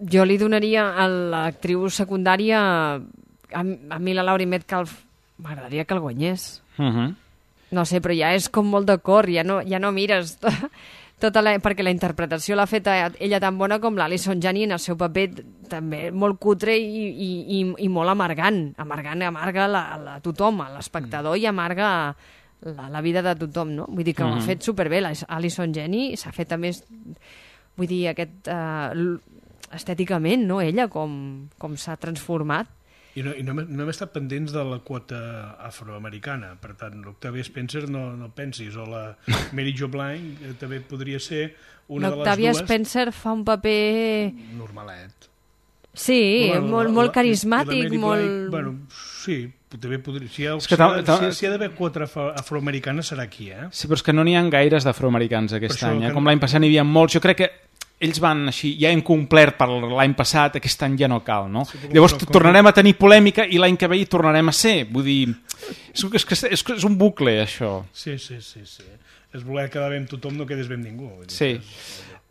jo li donaria a l'actriu secundària, a mi la Laurie Metcalf m'agradaria que el guanyés. No sé, però ja és com molt de cor, ja no mires perquè la interpretació l'ha fet ella tan bona com l'Alison Janney en el seu paper també molt cutre i molt amargant. Amarga a tothom, a l'espectador, i amarga la vida de tothom, no? Vull dir que ho ha fet superbé. L'Alison Janney s'ha fet a més... Vull dir, estèticament, no? Ella, com s'ha transformat. I no hem estat pendents de la quota afroamericana, per tant, l'Octavia Spencer no pensis, o la Mary Jo Blige també podria ser una de les dues. L'Octavia Spencer fa un paper... Normalet. Sí, molt carismàtic, molt... Bueno, sí, també podria... Si hi ha d'haver 4 afroamericanes serà aquí, eh? Sí, però és que no n'hi ha gaires d'afroamericans aquest any, com l'any passat n'hi havia molts. Jo crec que ells van així, ja hem complert per l'any passat, aquest any ja no cal, no? Sí, llavors tornarem a tenir polèmica i l'any que ve hi tornarem a ser. Vull dir, és un bucle, això. Sí. És voler quedar bé amb tothom, no quedes bé amb ningú. Sí.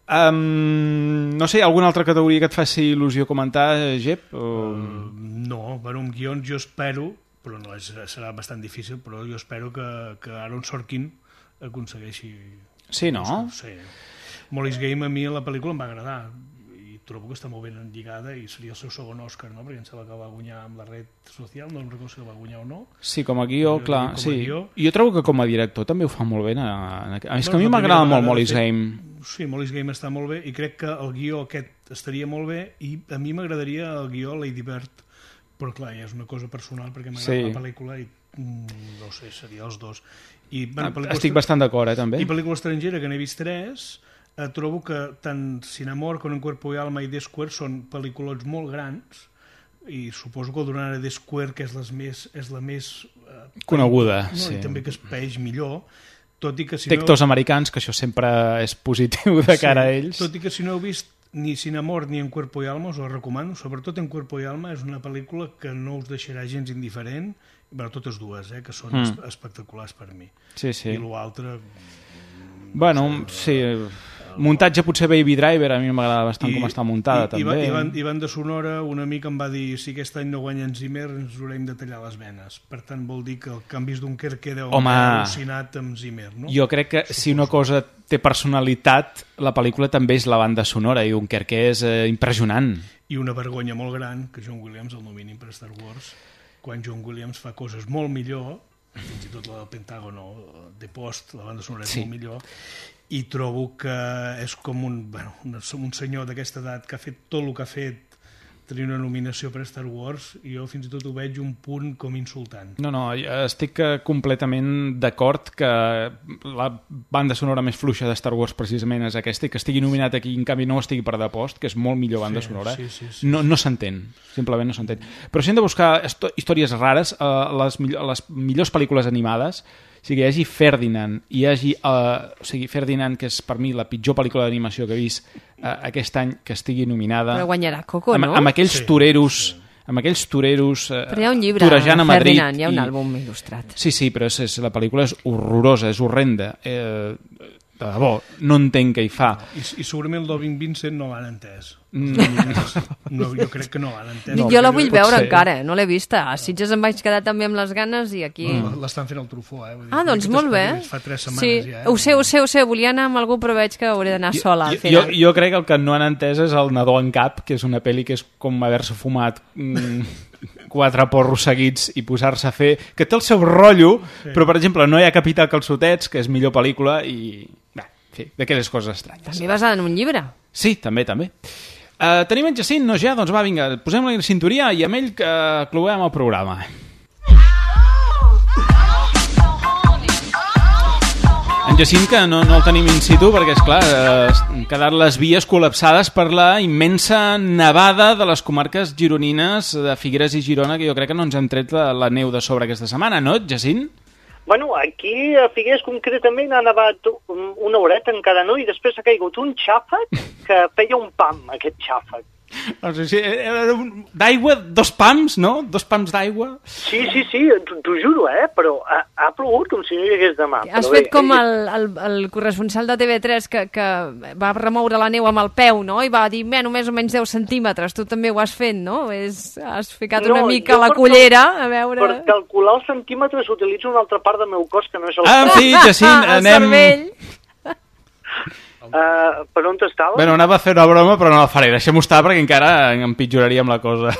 No sé, alguna altra categoria que et faci il·lusió comentar, Jep? No, bueno, amb guions jo espero, però no serà bastant difícil, però jo espero que Aaron Sorkin aconsegueixi... Sí, no? Sí. Molly's Game a mi la pel·lícula em va agradar i trobo que està molt ben lligada i seria el seu segon Òscar, no? Perquè em sembla que va guanyar amb la red social, no em recordo si el va guanyar o no. Sí, com a guió, clar, sí. Jo trobo que com a director també ho fa molt bé. És que a mi m'agrada molt Molly's Game. Sí, Molly's Game està molt bé i crec que el guió aquest estaria molt bé i a mi m'agradaria el guió Lady Bird, però clar, ja és una cosa personal perquè m'agrada la pel·lícula i no sé, seria els dos. Estic bastant d'acord, també. I pel·lícula estrangera, que n'he vist 3, trobo que tant Sin Amor com En Cuerpo y Alma i The Square són pel·lícules molt grans i suposo que el donarà The Square, que és la més coneguda, i també que es peix millor, tot i que si actors americans, que això sempre és positiu de cara a ells. Tot i que si no heu vist ni Sin Amor ni En Cuerpo y Alma us ho recomano, sobretot En Cuerpo y Alma és una pel·lícula que no us deixarà gens indiferent, bueno, totes dues, que són espectaculars per mi. Sí. I l'altre... Bueno, sí... Muntatge potser Baby Driver, a mi m'agrada bastant com està muntada, també. I banda sonora, un amic em va dir si aquest any no guanya en Zimmer ens haurem de tallar les venes. Per tant, vol dir que el canvis d'un Kerker deu haver al·lucinat amb Zimmer, no? Jo crec que si una cosa té personalitat, la pel·lícula també és la banda sonora, i Dunkerque és impressionant. I una vergonya molt gran que John Williams el nominin per Star Wars, quan John Williams fa coses molt millor, fins i tot la del Pentàgon o The Post, la banda sonora és molt millor, i trobo que és com un senyor d'aquesta edat que ha fet tot el que ha fet, tenir una nominació per Star Wars, i jo fins i tot ho veig un punt com insultant. No, estic completament d'acord que la banda sonora més fluixa de Star Wars precisament és aquesta, i que estigui nominat aquí, en canvi no estigui per The Post, que és molt millor banda sonora. Sí. No s'entén, simplement no s'entén. Però si hem de buscar històries rares, les millors pel·lícules animades, o sigui, hi hagi Ferdinand, Ferdinand, que és per mi la pitjor pel·lícula d'animació que he vist aquest any, que estigui nominada. Però guanyarà Coco, no? Amb aquells toreros... Amb aquells toreros però hi ha un llibre, torejant a Madrid. Ferdinand, hi ha un àlbum il·lustrat. Sí, però la pel·lícula és horrorosa, és horrenda. De debò, no entenc què hi fa. I segurament el Dobin Vincent no l'han entès. No, jo crec que no l'han entès. Jo la vull veure encara, no l'he vista. A Sitges em vaig quedar també amb les ganes i aquí... L'estan fent al Truffaut, doncs molt bé. Fa 3 setmanes ja. Ho sé, volia anar amb algú, però veig que hauré d'anar sola al final. Jo crec que el que no han entès és El nadó en cap, que és una pel·li que és com haver-se fumat 4 porros seguits i posar-se a fer... Que té el seu rotllo, però, per exemple, no hi ha Capità Calçotets, que és millor pel·lícula, i... d'aquelles coses estranyes. També basada en un llibre. Sí, també. Tenim en Jacint, no ja? Doncs va, vinga, posem-la en cinturia i amb ell que cloem el programa. En Jacint, que no el tenim in situ perquè, esclar, han quedat les vies col·lapsades per la immensa nevada de les comarques gironines de Figueres i Girona, que jo crec que no ens hem tret la neu de sobre aquesta setmana, no, Jacint? Bueno, aquí a Figueres concretament ha nevat una horeta encara no, i després ha caigut un xàfec que feia un pam, aquest xàfec. D'aigua, 2 pams, no? 2 pams d'aigua. Sí, t'ho juro, però ha plogut com si no hi hagués demà. Has fet com el corresponsal de TV3 que va remoure la neu amb el peu, no? I va dir, només o menys 10 centímetres. Tu també ho has fet, no? Has ficat una mica la cullera, a veure... Per calcular els centímetres utilitzo una altra part del meu cos que no és el... En fi, Jacint, anem... Per on t'estava? Bueno, anava a fer una broma, però no la faré. Deixem-ho estar perquè encara empitjoraríem la cosa.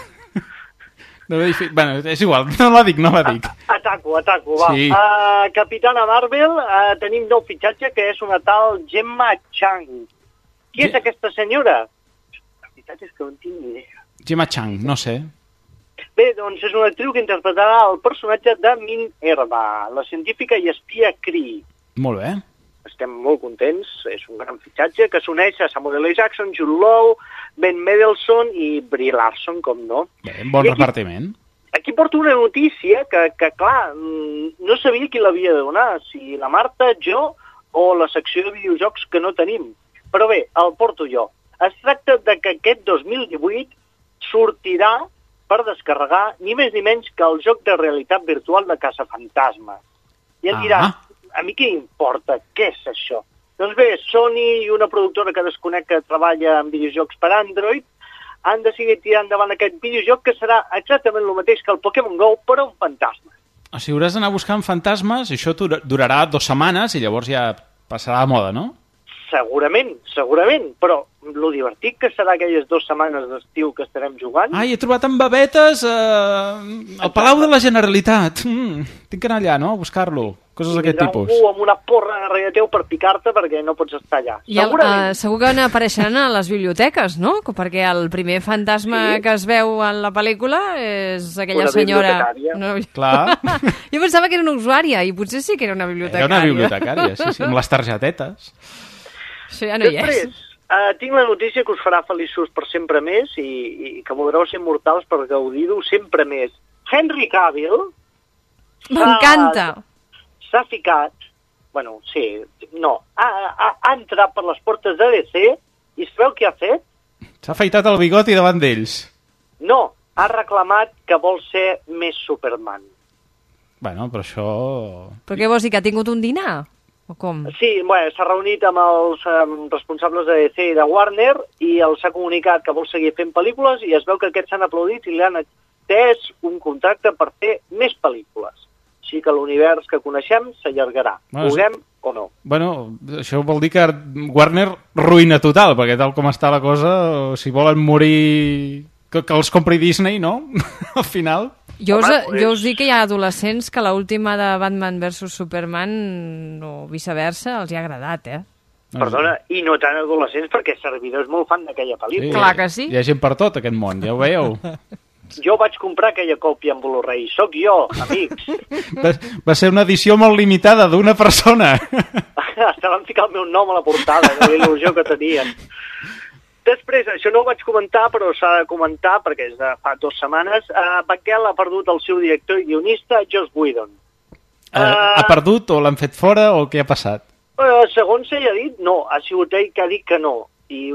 Bueno, és igual, no la dic. Ataco, va. Sí. Capitana Marvel, tenim nou fitxatge, que és una tal Gemma Chan. Qui és aquesta senyora? La veritat és que no en tinc ni idea. Gemma Chan, no sé. Bé, doncs és una actriu que interpretarà el personatge de Minerva, la científica i espia Kree. Molt bé. Estem molt contents, és un gran fitxatge que s'uneix a Samuel L. Jackson, Jude Law, Ben Mendelsohn i Brie Larson, com no. Bé, bon repartiment. Aquí porto una notícia que clar, no sabia qui l'havia de donar, si la Marta, jo o la secció de videojocs que no tenim. Però bé, el porto jo. Es tracta de que aquest 2018 sortirà per descarregar ni més ni menys que el joc de realitat virtual de Caçafantasmes. I em diràs, a mi què importa? Què és això? Doncs bé, Sony i una productora que desconec que treballa en videojocs per Android han decidit tirar endavant aquest videojoc que serà exactament el mateix que el Pokémon GO, però amb fantasmes. O sigui, hauràs d'anar buscant fantasmes i això durarà 2 setmanes i llavors ja passarà de moda, no? Segurament, però lo divertit que serà aquelles 2 setmanes d'estiu que estarem jugant... Ai, he trobat en babetes al Palau de la Generalitat. Tinc que anar allà, no?, a buscar-lo. Coses d'aquest tipus. Algú amb una porra darrere teu per picar-te perquè no pots estar allà. Segur que n'apareixeran a les biblioteques, no? Perquè el primer fantasma que es veu en la pel·lícula és aquella senyora... No. Clar. Jo pensava que era una usuària i potser sí que era una bibliotecària. Era una bibliotecària, sí, amb les targetetes. Això ja no hi és. Després, tinc la notícia que us farà feliços per sempre més i que voldreu ser mortals per gaudir-ho sempre més. Henry Cavill... M'encanta! S'ha ficat... Bueno, sí, no. Ha entrat per les portes de DC i sabeu què ha fet? S'ha afaitat el bigoti davant d'ells. No, ha reclamat que vol ser més Superman. Bueno, però això... Però què vols dir, que ha tingut un dinar? O com? Sí, bueno, s'ha reunit amb els responsables de DC i de Warner i els ha comunicat que vol seguir fent pel·lícules i es veu que aquests s'han aplaudit i li han atès un contracte per fer més pel·lícules. Així que l'univers que coneixem s'allargarà, vulguem o no. Bueno, això vol dir que Warner ruïna total, perquè tal com està la cosa, si volen morir... que els compri Disney, no? Al final... Jo us dic que hi ha adolescents que l'última de Batman vs Superman o viceversa els hi ha agradat, Perdona, i no tan adolescents perquè servidor és molt fan d'aquella pel·lícula. Clar que sí. Hi ha gent per tot, aquest món, ja ho veieu. Jo vaig comprar aquella còpia en Blu-ray, sóc jo, amics. Va ser una edició molt limitada d'una persona. Estaven ficant el meu nom a la portada, de la il·lusió que tenien. Després, això no ho vaig comentar, però s'ha de comentar, perquè és de fa 2 setmanes, Batgirl ha perdut el seu director i guionista, Joss Whedon. Ha perdut o l'han fet fora o què ha passat? Segons ell ha dit, no. Ha sigut ell que ha dit que no. I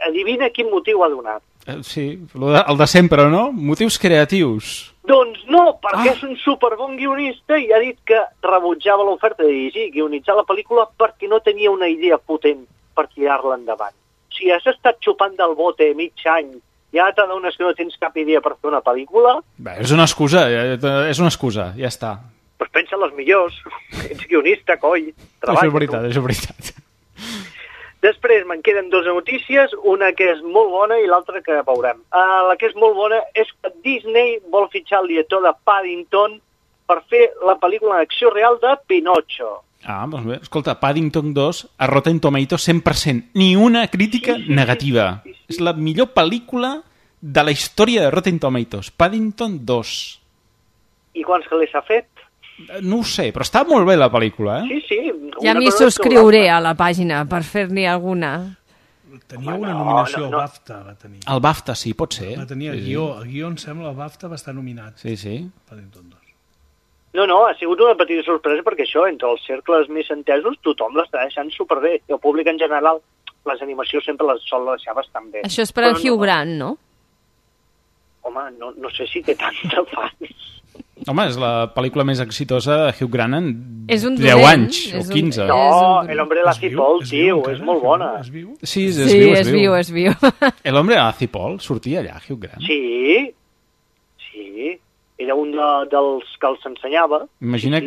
adivina quin motiu ha donat. Sí, el de sempre, no? Motius creatius. Doncs no, perquè és un superbon guionista i ha dit que rebutjava l'oferta de dirigir i guionitzar la pel·lícula perquè no tenia una idea potent per tirar-la endavant. Si has estat xupant del bote mig any i ara t'adones que no tens cap idea per fer una pel·lícula... Bé, és una excusa, ja està. Doncs pensa en les millors. Ets guionista, coi. Treballa, és veritat. Després me'n queden 2 notícies, una que és molt bona i l'altra que veurem. La que és molt bona és que Disney vol fitxar el director de Paddington per fer la pel·lícula en acció real de Pinocho. Doncs bé, escolta, Paddington 2 a Rotten Tomatoes 100%, ni una crítica negativa. Sí. És la millor pel·lícula de la història de Rotten Tomatoes, Paddington 2. I quants calés s'ha fet? No ho sé, però està molt bé la pel·lícula, Sí. Ja m'hi subscriuré a la pàgina per fer-n'hi alguna. Tenia una nominació al BAFTA, va tenir. El BAFTA, sí, pot ser. Va tenir el guió, em sembla, el BAFTA va estar nominat. Sí. Paddington 2. No, ha sigut una petita sorpresa perquè això, entre els cercles més entesos, tothom l'està deixant superbé. I el públic en general, les animacions sempre les sol deixar bastant bé. Això és per al Hugh Grant, no? Home, no sé si té tanta fans. Home, és la pel·lícula més exitosa de Hugh Grant en 10 anys o 15. No, El hombre de la Cipol, tio, és molt bona. Sí, és viu. El hombre de la Cipol sortia allà, Hugh Grant. Sí. Era un dels que els ensenyava. Imagina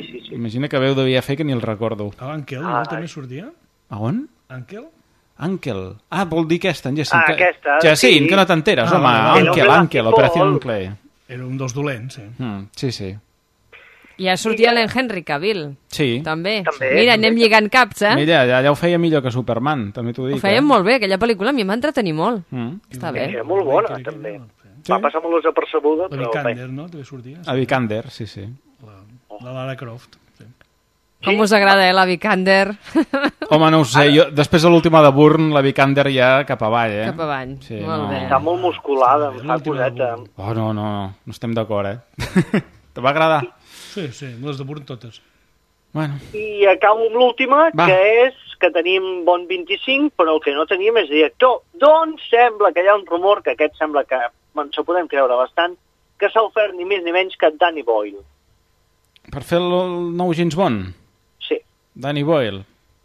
que veu devia fer que ni el recordo. L'Àngel, no? També sortia? A on? Àngel. Vol dir aquesta, en Jacint. Aquesta. Jacint, que no t'enteres, home. Àngel, Operació Nuclear. Era un dels dolents, Sí. I ja sortia l'Henry Cavill. Sí. També. Mira, anem lligant caps, Mira, ja ho feia millor que Superman, també t'ho dic. Ho feien molt bé, aquella pel·lícula a mi m'ha entretenir molt. Està bé. Era molt bona, també. Va passar molt desapercebuda, però... La Vikander, no? També sortia. A Vikander, sí. La Lara Croft. Sí. Com us agrada, la Vikander? Home, no ho sé, jo, després de l'última de Bourne, la Vikander ja cap avall, Cap avall, sí, molt bé. Està molt musculada, em fa coseta. Oh, no estem d'acord, Te va agradar? Sí, les de Bourne totes. Bueno. I acabo amb l'última, que és que tenim bon 25, però el que no tenim és director. Doncs sembla que hi ha un rumor, que aquest sembla que ens ho podem creure bastant, que s'ha ofert ni més ni menys que Danny Boyle. Per fer el nou James Bond? Sí. Danny Boyle?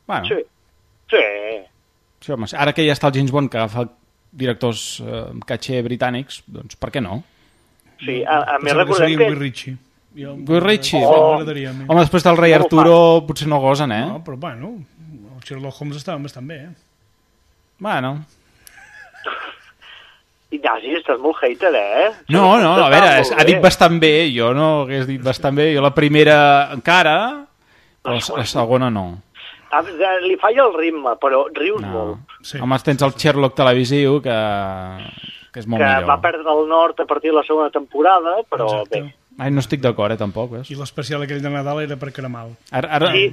Bueno. Sí. Sí, home, ara que ja està el James Bond que agafa directors caché britànics, doncs per què no? Sí, a més recordem que... Guy Ritchie. Guy Ritchie? Home, després del rei Arturo potser no gosen, No, però bueno, el Sherlock Holmes estava bastant bé, Bueno. Ignasi, estàs molt hater, No, a veure, ha dit bastant bé, jo no hagués dit bastant bé, jo la primera encara, però la segona no. Li falla el ritme, però rius molt. Sí. Home, tens el Sherlock televisiu, que és molt millor. Que va perdre el nord a partir de la segona temporada, però bé. Ai, no estic d'acord, tampoc. I l'especial aquell de Nadal era per Caramel. Sí,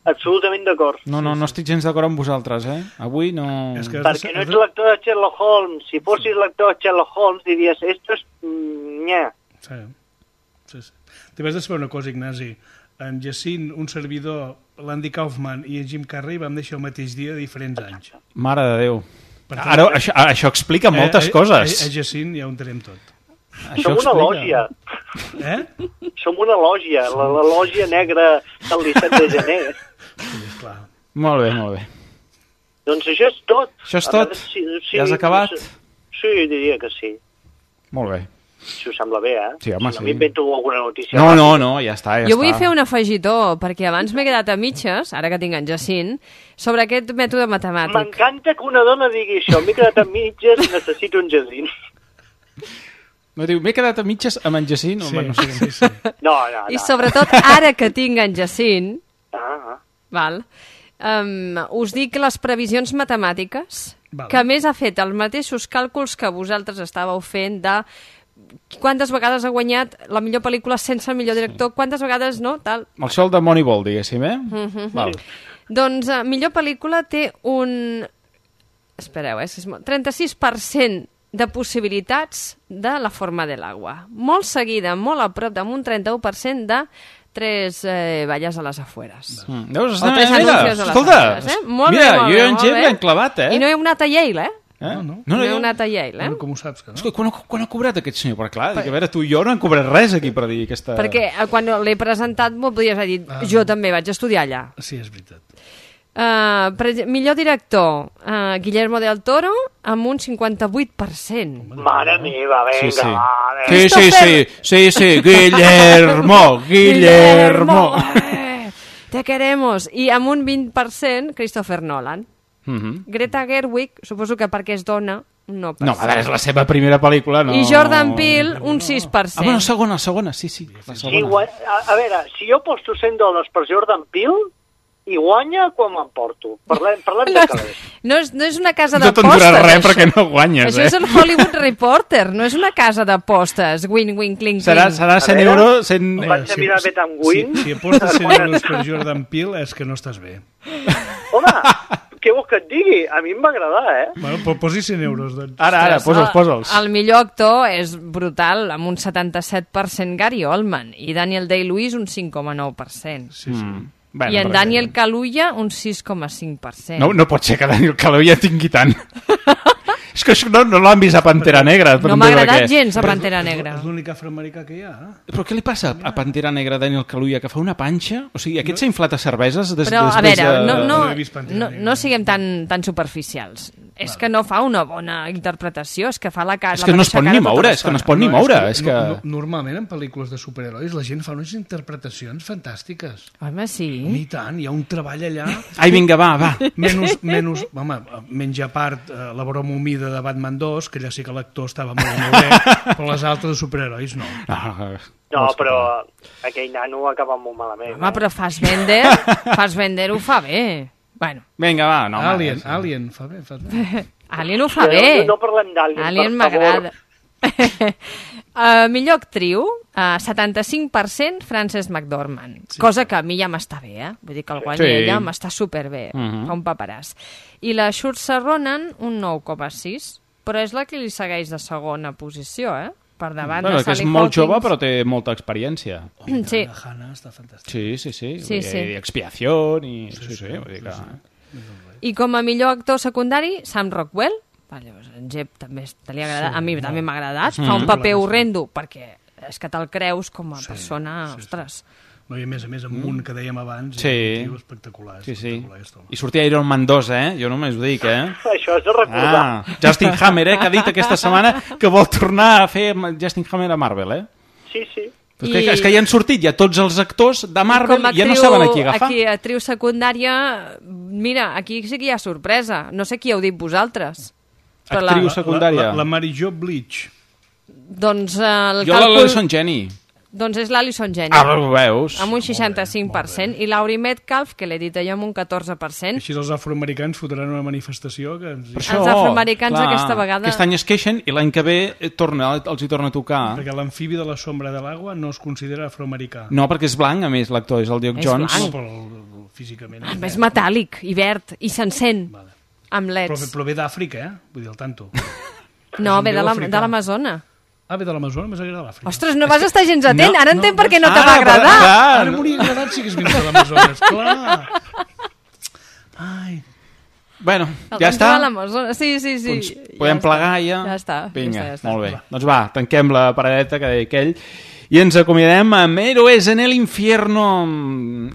absolutament d'acord. No estic gens d'acord amb vosaltres, Avui no... Perquè no ets lector de Sherlock Holmes. Si fossis lector de Sherlock Holmes, diries, esto es... Nyà. Sí. T'hi vas de saber una cosa, Ignasi. En Jacint, un servidor, l'Andy Kaufman i en Jim Carrey vam néixer el mateix dia de diferents anys. Mare de Déu. Ara, això explica moltes coses. A Jacint ja ho entenem tot. Som una lògia. Som una lògia, la lògia negra del 17 de gener. Sí, clar. Molt bé. Doncs això és tot. Això és tot? Ja has acabat? Sí, diria que sí. Molt bé. Si us sembla bé, Sí, home, si no m'invento alguna notícia. No, ja està. Jo vull fer un afegitó, perquè abans m'he quedat a mitges, ara que tinc en Jacint, sobre aquest mètode matemàtic. M'encanta que una dona digui això, m'he quedat a mitges, necessito un Jacint. No diu, m'he quedat a mitges amb en Jacint? Sí. No. I sobretot, ara que tinc en Jacint, us dic les previsions matemàtiques, que a més ha fet els mateixos càlculs que vosaltres estàveu fent de quantes vegades ha guanyat la millor pel·lícula sense el millor director, quantes vegades no, tal. El sol de Moneyball, diguéssim, Val. Doncs millor pel·lícula té un... Espereu, 36% de possibilitats de La forma de l'agua. Molt seguida, molt a prop, amb un 31% de Tres valles a les afueres. Veus? Escolta, mira, jo i en Gep l'hem clavat, I no he anat a Yale, No he anat a Yale, Com ho saps, que no? Escolta, quan ha cobrat aquest senyor? Perquè clar, a veure, tu i jo no hem cobrat res aquí per dir aquesta... Perquè quan l'he presentat m'ho podries haver dit, jo també vaig estudiar allà. Sí, és veritat. Millor director, Guillermo del Toro, amb un 58%. Mare meva, vinga, Sí, Guillermo. Te queremos. I amb un 20%, Christopher Nolan. Greta Gerwig, suposo que perquè és dona, no passa. No, a veure, és la seva primera pel·lícula, no... I Jordan Peele, un 6%. Bueno, segona, sí. La segona. A veure, si jo posto $100 per Jordan Peele, i guanya quan m'emporto. Parlem de calés. No és una casa d'apostes. No t'endurà res perquè no guanyes, Això és el Hollywood Reporter, no és una casa d'apostes. Win, cling. Serà 100 euros... Vaig a mirar bé tan win. Si apostes 100 euros per Jordan Peele és que no estàs bé. Home, què vols que et digui? A mi em va agradar, Bueno, posi 100 euros, doncs. Ara, posa'ls. El millor actor és brutal, amb un 77% Gary Oldman, i Daniel Day-Lewis un 5,9%. Sí. Bueno, I en Daniel Kaluuya un 6,5%. No pot ser que Daniel Kaluuya tingui tant. És que això no l'han vist a Pantera Negra. No m'ha agradat gens a Pantera Negra. És l'únic afroamericà que hi ha. Però què li passa a Pantera Negra Daniel Kaluuya, que fa una panxa? O sigui, aquest s'ha inflat a cerveses Però, a veure, no siguem tan superficials. És que no fa una bona interpretació, és que fa la cara... És que no es pot ni moure, Normalment en pel·lícules de superherois la gent fa unes interpretacions fantàstiques. Home, sí. I tant, hi ha un treball allà... Ai, vinga, va. Menys a part la broma humida de Batman 2, que allà sí que l'actor estava molt bé, però les altres de superherois no. No, però aquell nano acaba molt malament. Home, però Fassbender ho fa bé. Bueno. Vinga, va. No, Alien, fa bé. Alien ho fa bé. No parlem d'Alien, Alien m'agrada. Millor actriu, 75% Frances McDormand, cosa que a mi ja m'està bé, vull dir que el guany ella m'està superbé, fa un paperàs. I la Saoirse Ronan, un 9,6, però és la que li segueix de segona posició, per davant de Sally Hawkins. Que és molt jove, però té molta experiència. Sí. La Hannah està fantàstica. Sí. I Expiació, i... I com a millor actor secundari, Sam Rockwell, en Jep també li ha agradat, a mi també m'ha agradat, fa un paper horrendo, perquè és que te'l creus com a persona, ostres. No, i a més, amb un que dèiem abans, espectacular. I sortia Iron Man 2, Jo només ho dic, Això és de recordar. Justin Hammer, que ha dit aquesta setmana que vol tornar a fer Justin Hammer a Marvel, Sí. És que ja han sortit ja tots els actors de Marvel i ja no saben a qui agafar. Aquí, actriu secundària, mira, aquí sí que hi ha sorpresa. No sé qui heu dit vosaltres. Actriu secundària. La Mary Jo Blige. Doncs jo l'Alison Jenny. Doncs és l'Alison Jenny. Ho veus. Amb un 65%. I Laurie Metcalf, que l'he dit jo, amb un 14%. Així els afroamericans fotran una manifestació que... Els afroamericans aquesta vegada... Aquest any es queixen i l'any que ve els hi torna a tocar. Perquè l'amfibi de la sombra de l'aigua no es considera afroamericà. No, perquè és blanc, a més, l'actor, és el Duke Jones. És blanc. Però físicament... És metàl·lic i verd, i se'n sent, amb leds. Però ve d'Àfrica, Vull dir, el tanto. No, ve de l'Amazona. Ve de l'Amazona, més agrada l'Àfrica. Ostres, no vas estar gens atent, ara entenc per què no te va agradar. Ara m'hauria agradat si hagués vingut de l'Amazona, esclar. Ai... Bueno, ja està? Sí. Doncs podem plegar ja? Ja està. Vinga, molt bé. Doncs va, tanquem la paradeta que deia aquell i ens acomiadem amb Héroes en el Infierno,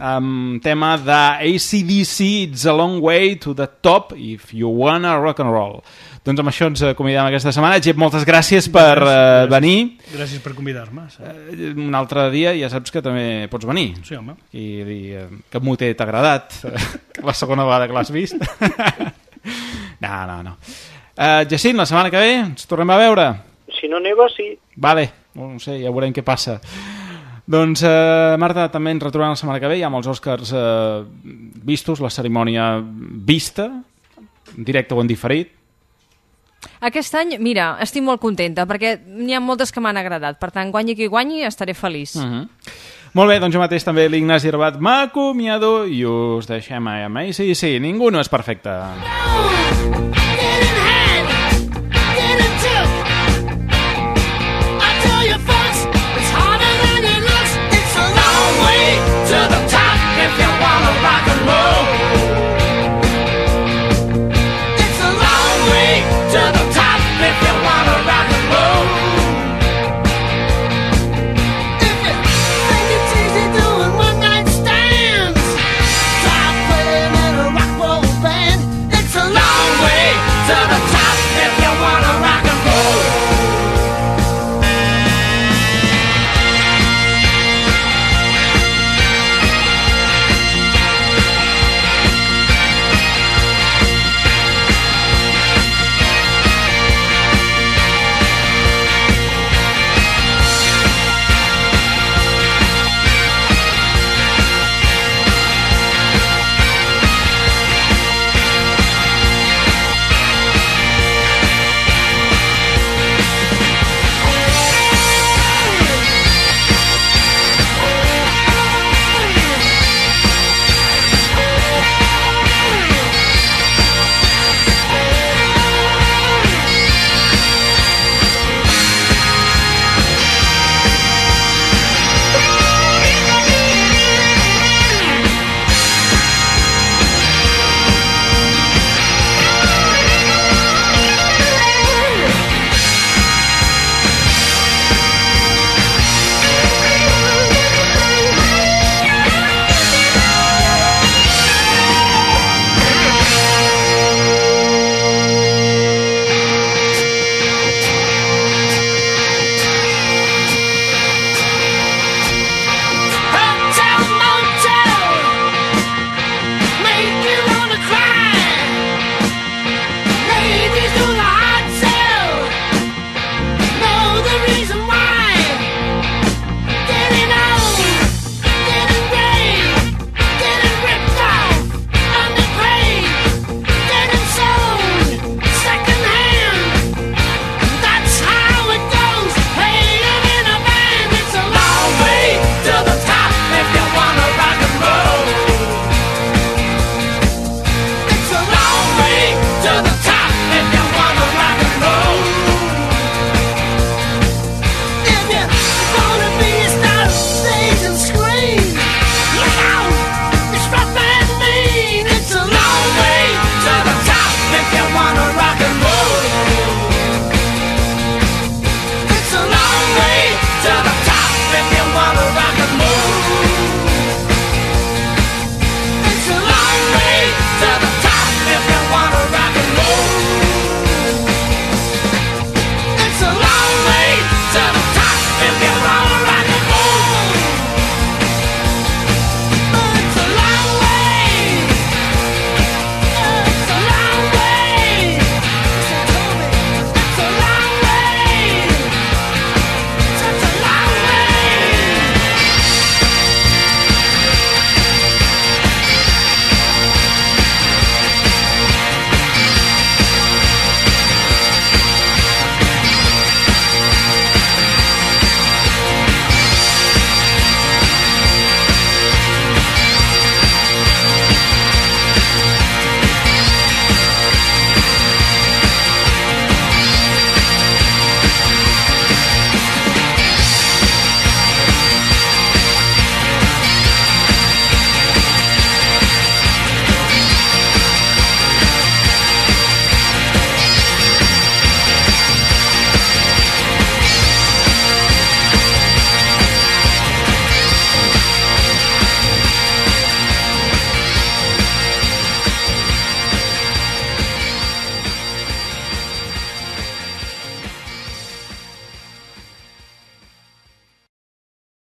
amb tema de AC/DC, It's a Long Way to the Top, If You Wanna Rock and Roll. Doncs amb això ens acomiadem aquesta setmana. Jep, moltes gràcies per venir. Gràcies per convidar-me. Un altre dia ja saps que també pots venir. Sí, home. I dir que moter t'ha agradat, la segona vegada que l'has vist. No. Jacint, la setmana que ve ens tornem a veure. Si no neva, sí. Vale, no sé, ja veurem què passa. Doncs, Marta, també ens retrobem la setmana que ve, ja amb els Oscars vistos, la cerimònia vista, en directe o en diferit. Aquest any, mira, estic molt contenta, perquè n'hi ha moltes que m'han agradat. Per tant, guanyi qui guanyi, estaré feliç. Molt bé, doncs jo mateix també l'Ignasi Rabat m'acomiado i us deixem a sí, ningú no és perfecte.